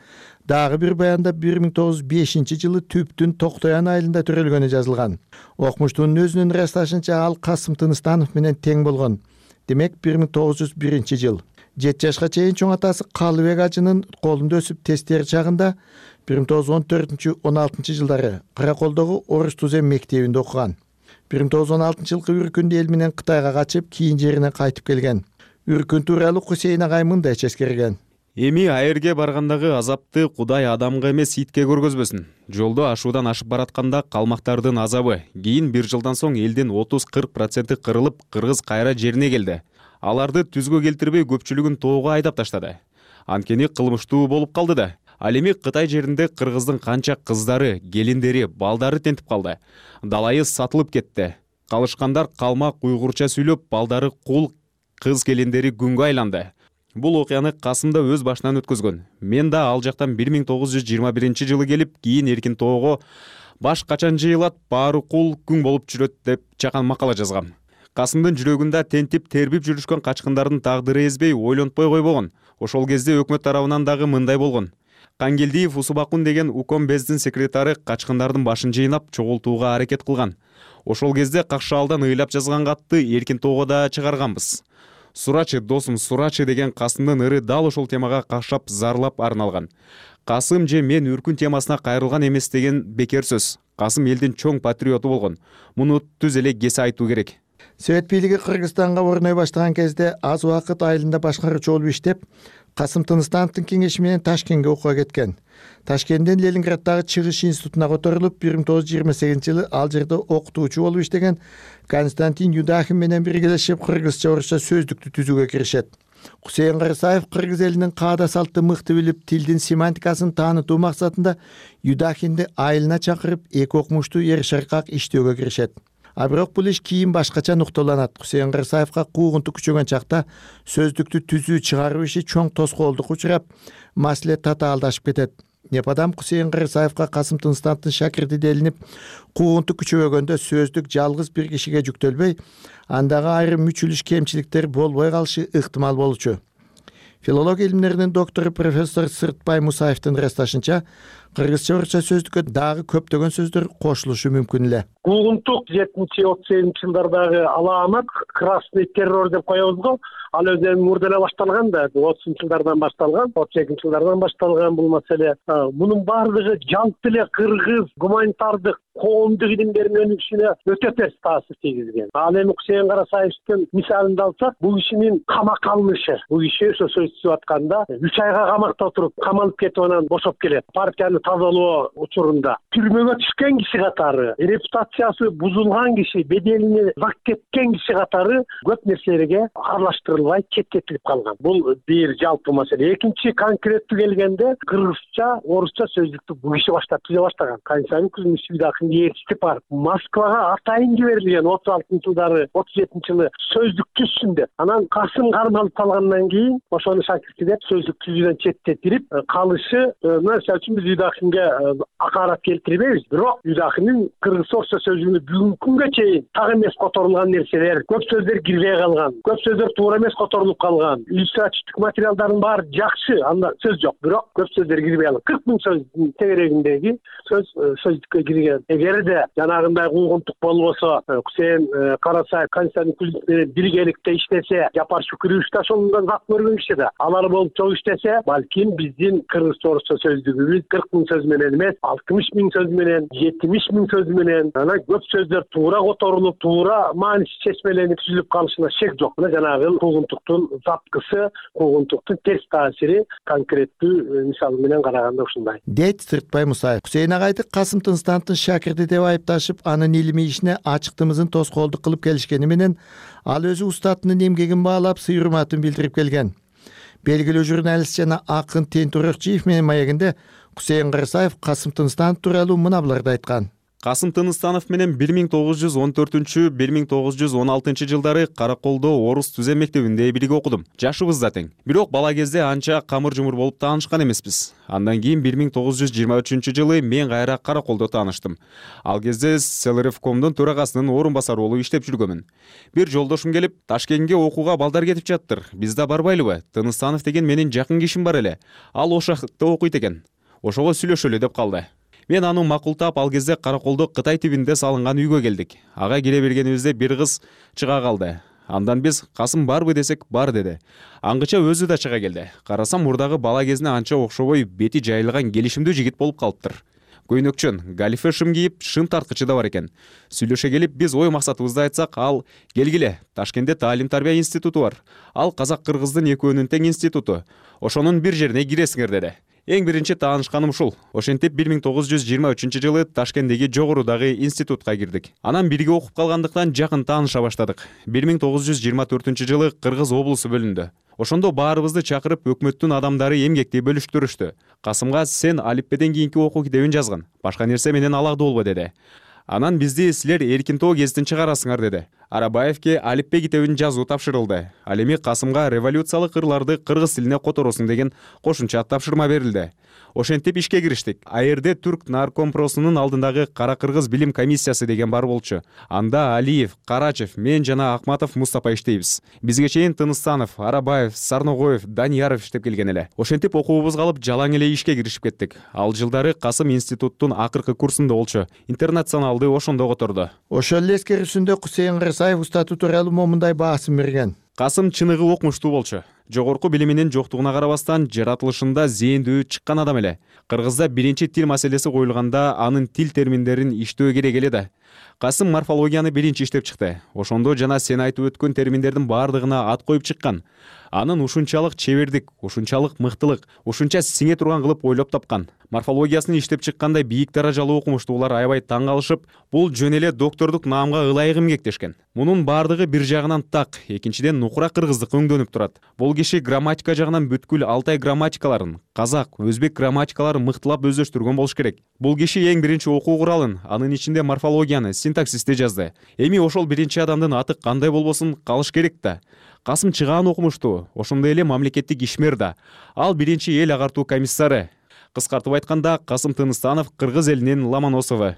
дагы бир баянда бир миң тогуз жүз бешинчи жылы Түптүн Токтоян айылында төрөлгөнү жазылган. Окумуштунун өзүнүн ырасташынча ал Касым Тыныстанов менен тең болгон. Демек бир миң тогуз жүз биринчи жыл. жети жашка чейин чоң атасы Калыбек ажынын колунда өсүп тестер чагында бир миң тогуз жүз он төртүнчү он алтынчы жылдары Караколдогу Орус Тузем мектебинде окуган. бир миң тогуз жүз он алтынчы жылкы үркүндө эл менен Кытайга качып, кийин жерине кайтып келген. Үркүн тууралуу Кусейин агай мындай ческерген. Эми айырге баргандагы азапты Кудай адамга эмес итке көргөзбөсүн. Жолдо ашуудан ашып баратканда калмактардын азабы кийин бир жылдан соң элдин отуз кырк проценти кырылып, кыргыз кайра жерине келди. Аларды түзгө келтирбей көпчүлүгүн тоого айдап таштады. Анткени кылмыштуу болуп калды да. Ал эми Кытай жеринде кыргыздын канча кыздары, келиндери, балдары тентип калды. Далайы сатылып кетти. Калышкандар калмак уйгурча сүйлөп, балдары кул, кыз келиндери күнгө айланды. Бул окуяны Касым да өз башынан өткөзгөн. Мен да ал жактан бир миң тогуз жүз жыйырма биринчи жылы келип, кийин Эркин тоого баш качан жыйылат, баары кул, күң болуп жүрөт деп чакан макала жазгам. Касымдын жүрөгүндө тентип, тербип жүрүшкөн качкындардын тагдыры эзбей, ойлонтпой койбогон. Ошол кезде өкмөт тарабынан дагы мындай болгон. Кангелдиев Усубакун деген уком бездин секретары качкындардын башын жыйнап чогултууга аракет кылган. Ошол кезде Какшаалдан ыйлап жазган катты Эркин тоого да чыгарганбыз. Сурачы, досум, сурачы деген Касымдын ыры дал ошол темага кашап, зарлап арналган. Касым же мен үркүн темасына кайрылган эмес деген бекер сөз. Касым элдин чоң патриоту болгон. Муну түз эле кесе айтуу керек. Совет бийлиги Кыргызстанга орной баштаган кезде аз убакыт айылында башкаруучу болуп иштеп, Касым Тыныстановдун кеңеши менен Ташкентке окууга кеткен. Ташкенттен Ленинграддагы чыгыш институтуна которулуп, бир миң тогуз жүз жыйырма сегизинчи жылы ал жерде окутуучу болуп иштеген Константин Юдахин менен биргелешип кыргызча орусча сөздүктү түзүүгө киришет. Кусейин Кырсаев кыргыз элинин каада салтты мыкты билип, тилдин семантикасын таанытуу максатында Юдахинди айылына чакырып, эки окумуштуу эр шыркак иштөөгө киришет. А бирок бул иш кийин башкача нукталанат. Кусейин Кырсаевга куугунту күчөгөн чакта сөздүктү түзүү чыгаруу иши чоң тоскоолдукка учурап, маселе татаалдашып кетет. Непадам Кусейин Кырсаевга Касым Тыныстановдун шакирти делинип, куугунту күчөбөгөндө сөздүк жалгыз бир кишиге жүктөлбөй, андагы айрым мүчүлүш кемчиликтер болбой калышы ыктымал болчу. Филология илимдеринин доктору профессор Сыртбай Мусаевдин ырасташынча, кыргызча орусча сөздүккө дагы көптөгөн сөздөр кошулушу мүмкүн эле. Куугунтук жетинчи отуз сегизинчи жылдардагы алаамат красный террор деп коебуз го. Ал өзү мурда эле башталган да, отузунчу жылдардан башталган, отуз экинчи жылдардан башталган бул маселе. Мунун баардыгы жалпы эле кыргыз гуманитардык коомдук илимдердин өнүгүшүнө өтө терс таасир тийгизген. Ал эми Кусейин Карасаевдин мисалын алсак, бул кишинин камакка алынышы, бул киши ошо сөз түзүп атканда үч айга камакта отуруп, камалып кетип анан бошоп келет. Партияны тазалоо учурунда түрмөгө түшкөн киши катары, репутациясы бузулган киши, беделине зак кеткен киши катары көп нерселерге аралаштырылбай четтетилип калган. Бул бир жалпы маселе. Экинчи конкреттүү келгенде кыргызча, орусча сөздүктү бул киши баштап түзө баштаган. Константин Кузьмич Юдахин ээрчилик бар. Москвага атайын жиберилген отуз алтынчы жылдары, отуз жетинчи жылы сөздүк түзсүн деп. Анан Касым кармалып калгандан кийин ошону шакирти деп сөздүк түзүүдөн четтетилип калышы, мисалы үчүн биз Юдахинге акарат келтирбейбиз. Бирок Юдахиндин кыргыз орусча сөздүгүнө бүгүнкү күнгө чейин так эмес которулган нерселер, көп сөздөр кирбей калган, көп сөздөр туура эмес которулуп калган. Иллюстративдик материалдардын баары жакшы, анда сөз жок, бирок көп сөздөр кирбей калган. кырк миң сөздүн тегерегиндеги сөз сөздүккө кирген. Эгерде жанагындай куугунтук болбосо, Кусейин Карасаев Константин Кузьмич менен биргеликте иштесе, Жапар Шүкүрөевич да ошондон зак көргөн киши да. Алар болуп чогуу иштесе, балким биздин кыргыз орусча сөздүгүбүз кырк миң сөз менен эмес, алтымыш миң сөз менен, жетимиш миң сөз менен, анан көп сөздөр туура которулуп, туура мааниси чечмеленип түзүлүп калышына шек жок. Мына жанагы куугунтуктун запкысы, куугунтуктун терс таасири конкреттүү мисалы менен караганда ушундай. Дейт Сыртбай Мусаев. Кусейин агайды Касым Тыныстановдун шакирти деп айыпташып, анын илимий ишине ачыктыгымызын тоскоолдук кылып келишкени менен ал өзү устатынын эмгегин баалап, сый урматын билдирип келген. Белгилүү журналист жана акын Тентур Акчиев менен маегинде Кусейин Карасаев Касым Тыныстанов тууралуу мына буларды айткан. Касым Тыныстанов менен бир миң тогуз жүз он төртүнчү — бир миң тогуз жүз он алтынчы жылдары Караколдо орус түзем мектебинде бирге окудум. Жашыбыз да тең. Бирок бала кезде анча камыр-жумур болуп таанышкан эмеспиз. Андан кийин бир миң тогуз жүз жыйырма үчүнчү жылы мен кайра Караколдо тааныштым. Ал кезде Селеревкомдун төрагасынын орун басары болуп иштеп жүргөмүн. Бир жолдошум келип, Ташкентке окууга балдар кетип жаттыр. Биз да барбайлыбы? Тыныстанов деген менин жакын кишим бар эле. Ал ошо жакта окуйт экен. Ошого сүйлөшөлү деп калды. Мен аны макултап, ал кезде Караколдо Кытай тибинде салынган үйгө келдик. Ага кире бергенибизде бир кыз чыга калды. Андан биз Касым барбы десек, бар деди. Аңгыча өзү да чыга келди. Карасам мурдагы бала кезине анча окшобой бети жайылган келишимдүү жигит болуп калыптыр. Көйнөкчөн, галифе шым кийип, шым тарткычы да бар экен. Сүйлөшө келип, биз ой максатыбызды айтсак, ал келгиле, Ташкентте Таалим тарбия институту бар. Ал казак-кыргыздын экөөнүн тең институту. Ошонун бир жерине киресиңер деди. Эң биринчи таанышканым ушул. Ошентип бир миң тогуз жүз жыйырма үчүнчү жылы Ташкенттеги жогорудагы институтка кирдик. Анан бирге окуп калгандыктан жакын тааныша баштадык. бир миң тогуз жүз жыйырма төртүнчү жылы Кыргыз облусу бөлүндү. Ошондо баарыбызды чакырып, өкмөттүн адамдары эмгекти бөлүштүрүштү. Касымга сен алиппеден кийинки окуу китебин жазгын, башка нерсе менен алакты болбо деди. Анан бизди силер эркин тоо гезитин чыгарасыңар деди. Арабаевке алиппе китебин жазуу тапшырылды. Ал эми Касымга революциялык ырларды кыргыз тилине которосуң деген кошумча тапшырма берилди. Ошентип ишке кириштик. АРД Түрк наркомпросунун алдындагы Кара Кыргыз билим комиссиясы деген бар болчу. Анда Алиев, Карачев, мен жана Акматов Мустапа иштейбиз. Бизге чейин Тыныстанов, Арабаев, Сарногоев, Данияров иштеп келген эле. Ошентип окуубузга алып жалаң эле ишке киришип кеттик. Ал жылдары Касым институттун акыркы курсунда болчу. Интернационалды ошондо которду. Ошол эле эскерүүсүндө Кусейин Карасаев устатуу тууралуу момундай баасын берген. Касым чыныгы окумуштуу болчу. Жогорку билиминин жоктугуна карабастан жаратылышында зээндүү чыккан адам эле. Кыргызда биринчи тил маселеси коюлганда анын тил терминдерин иштөө керек эле да. Касым морфологияны биринчи иштеп чыкты. Ошондо жана сен айтып өткөн терминдердин баардыгына ат коюп чыккан. Анын ушунчалык чебердик, ушунчалык мыктылык, ушунча сиңе турган кылып ойлоп тапкан. Морфологиясын иштеп чыкканда бийик даражалуу окумуштуулар аябай таң калышып, бул жөн эле доктордук наамга ылайык эмгектешкен. Мунун баардыгы бир жагынан так, экинчиден нукура кыргыздык өңдөнүп турат. Бул киши грамматика жагынан бүткүл Алтай грамматикаларын, казак, өзбек грамматикаларын мыктылап өздөштүргөн болуш керек. Бул киши эң биринчи окуу куралын, анын ичинде морфологияны, синтаксисти жазды. Эми ошол биринчи адамдын аты кандай болбосун калыш керек да. Касым чыгаан окумуштуу, ошондой эле мамлекеттик ишмер да. Ал биринчи эл агартуу комиссары. Кыскартып айтканда, Касым Тыныстанов кыргыз элинин Ломоносову.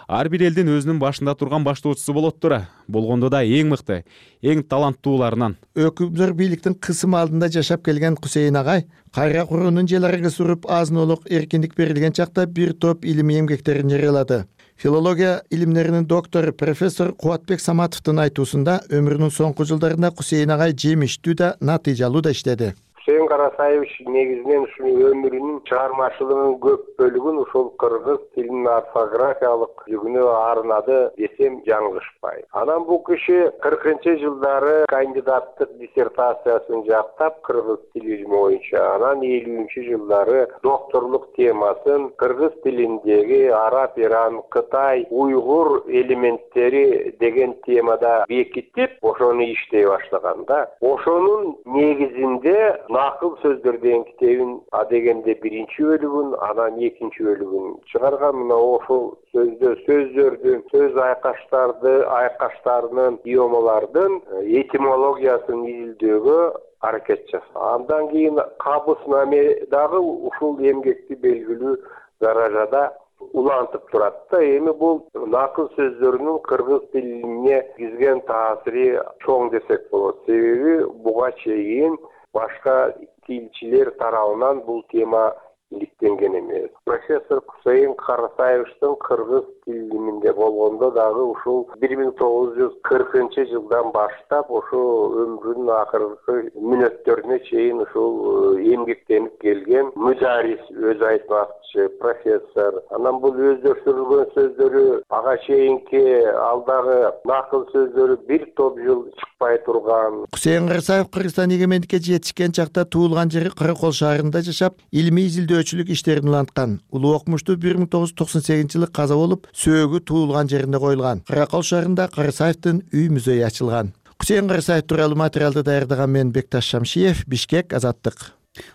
Ар бир элдин өзүнүн башында турган баштоочусу болот тура. Болгондо да эң мыкты, эң таланттууларынан. Өкүмдөр бийликтин кысымы алдында жашап келген Кусейин агай кайра куруунун желарга суруп азын-олук эркиндик берилген чакта бир топ илимий эмгектерин жарыялады. Филология илимдеринин доктору профессор Кубатбек Саматовдун айтуусунда өмүрүнүн соңку жылдарында Кусейин агай жемиштүү да, натыйжалуу да иштеди. Кусейин Карасаевич негизинен ушул өмүрүнүн чыгармачылыгынын көп бөлүгүн ушул кыргыз тилинин орфографиялык жүгүнө арнады десем жаңылышпайм. Анан бул киши кыркынчы жылдары кандидаттык диссертациясын жактап кыргыз тил илими боюнча, анан элүүнчү жылдары докторлук темасын кыргыз тилиндеги араб, иран, кытай, уйгур элементтери деген темада бекитип, ошону иштей баштаганда, ошонун негизинде накыл сөздөр деген китебин а дегенде биринчи бөлүгүн, анан экинчи бөлүгүн чыгарган. Мына ошол сөздө сөздөрдүн, сөз айкаштарды, айкаштарынын, идиомалардын этимологиясын изилдөөгө аракет жасаган. Андан кийин кабыснаме дагы ушул эмгекти белгилүү даражада улантып турат да. Эми бул накыл сөздөрүнүн кыргыз тилине киргизген таасири чоң десек болот. Себеби буга чейин башка тилчилер тарабынан бул тема иликтенген эмес. Профессор Кусейин Карасаевичтин кыргыз тил илиминде болгондо дагы ушул бир миң тогуз жүз кыркынчы жылдан баштап ошо өмүрүнүн акыркы мүнөттөрүнө чейин ушул эмгектенип келген мударис, өз айтмакчы, профессор. Анан бул өздөштүрүлгөн сөздөрү ага чейинки алдагы накыл сөздөрү бир топ жыл чыкпай турган. Кусейин Карасаев Кыргызстан эгемендикке жетишкен чакта туулган жери Кырыкол шаарында жашап, илимий изилдөөчүлүк иштерин уланткан. Улуу окумуштуу бир миң тогуз жүз токсон сегизинчи жылы каза болуп, сөөгү туулган жеринде коюлган. Кырыкол шаарында Карасаевдин үй музейи ачылган. Кусейин Карасаев тууралуу материалды даярдаган мен Бекташ Шамшиев, Бишкек, Азаттык.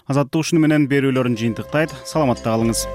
Азаттык ушуну менен берүүлөрүн жыйынтыктайт. Саламатта калыңыз.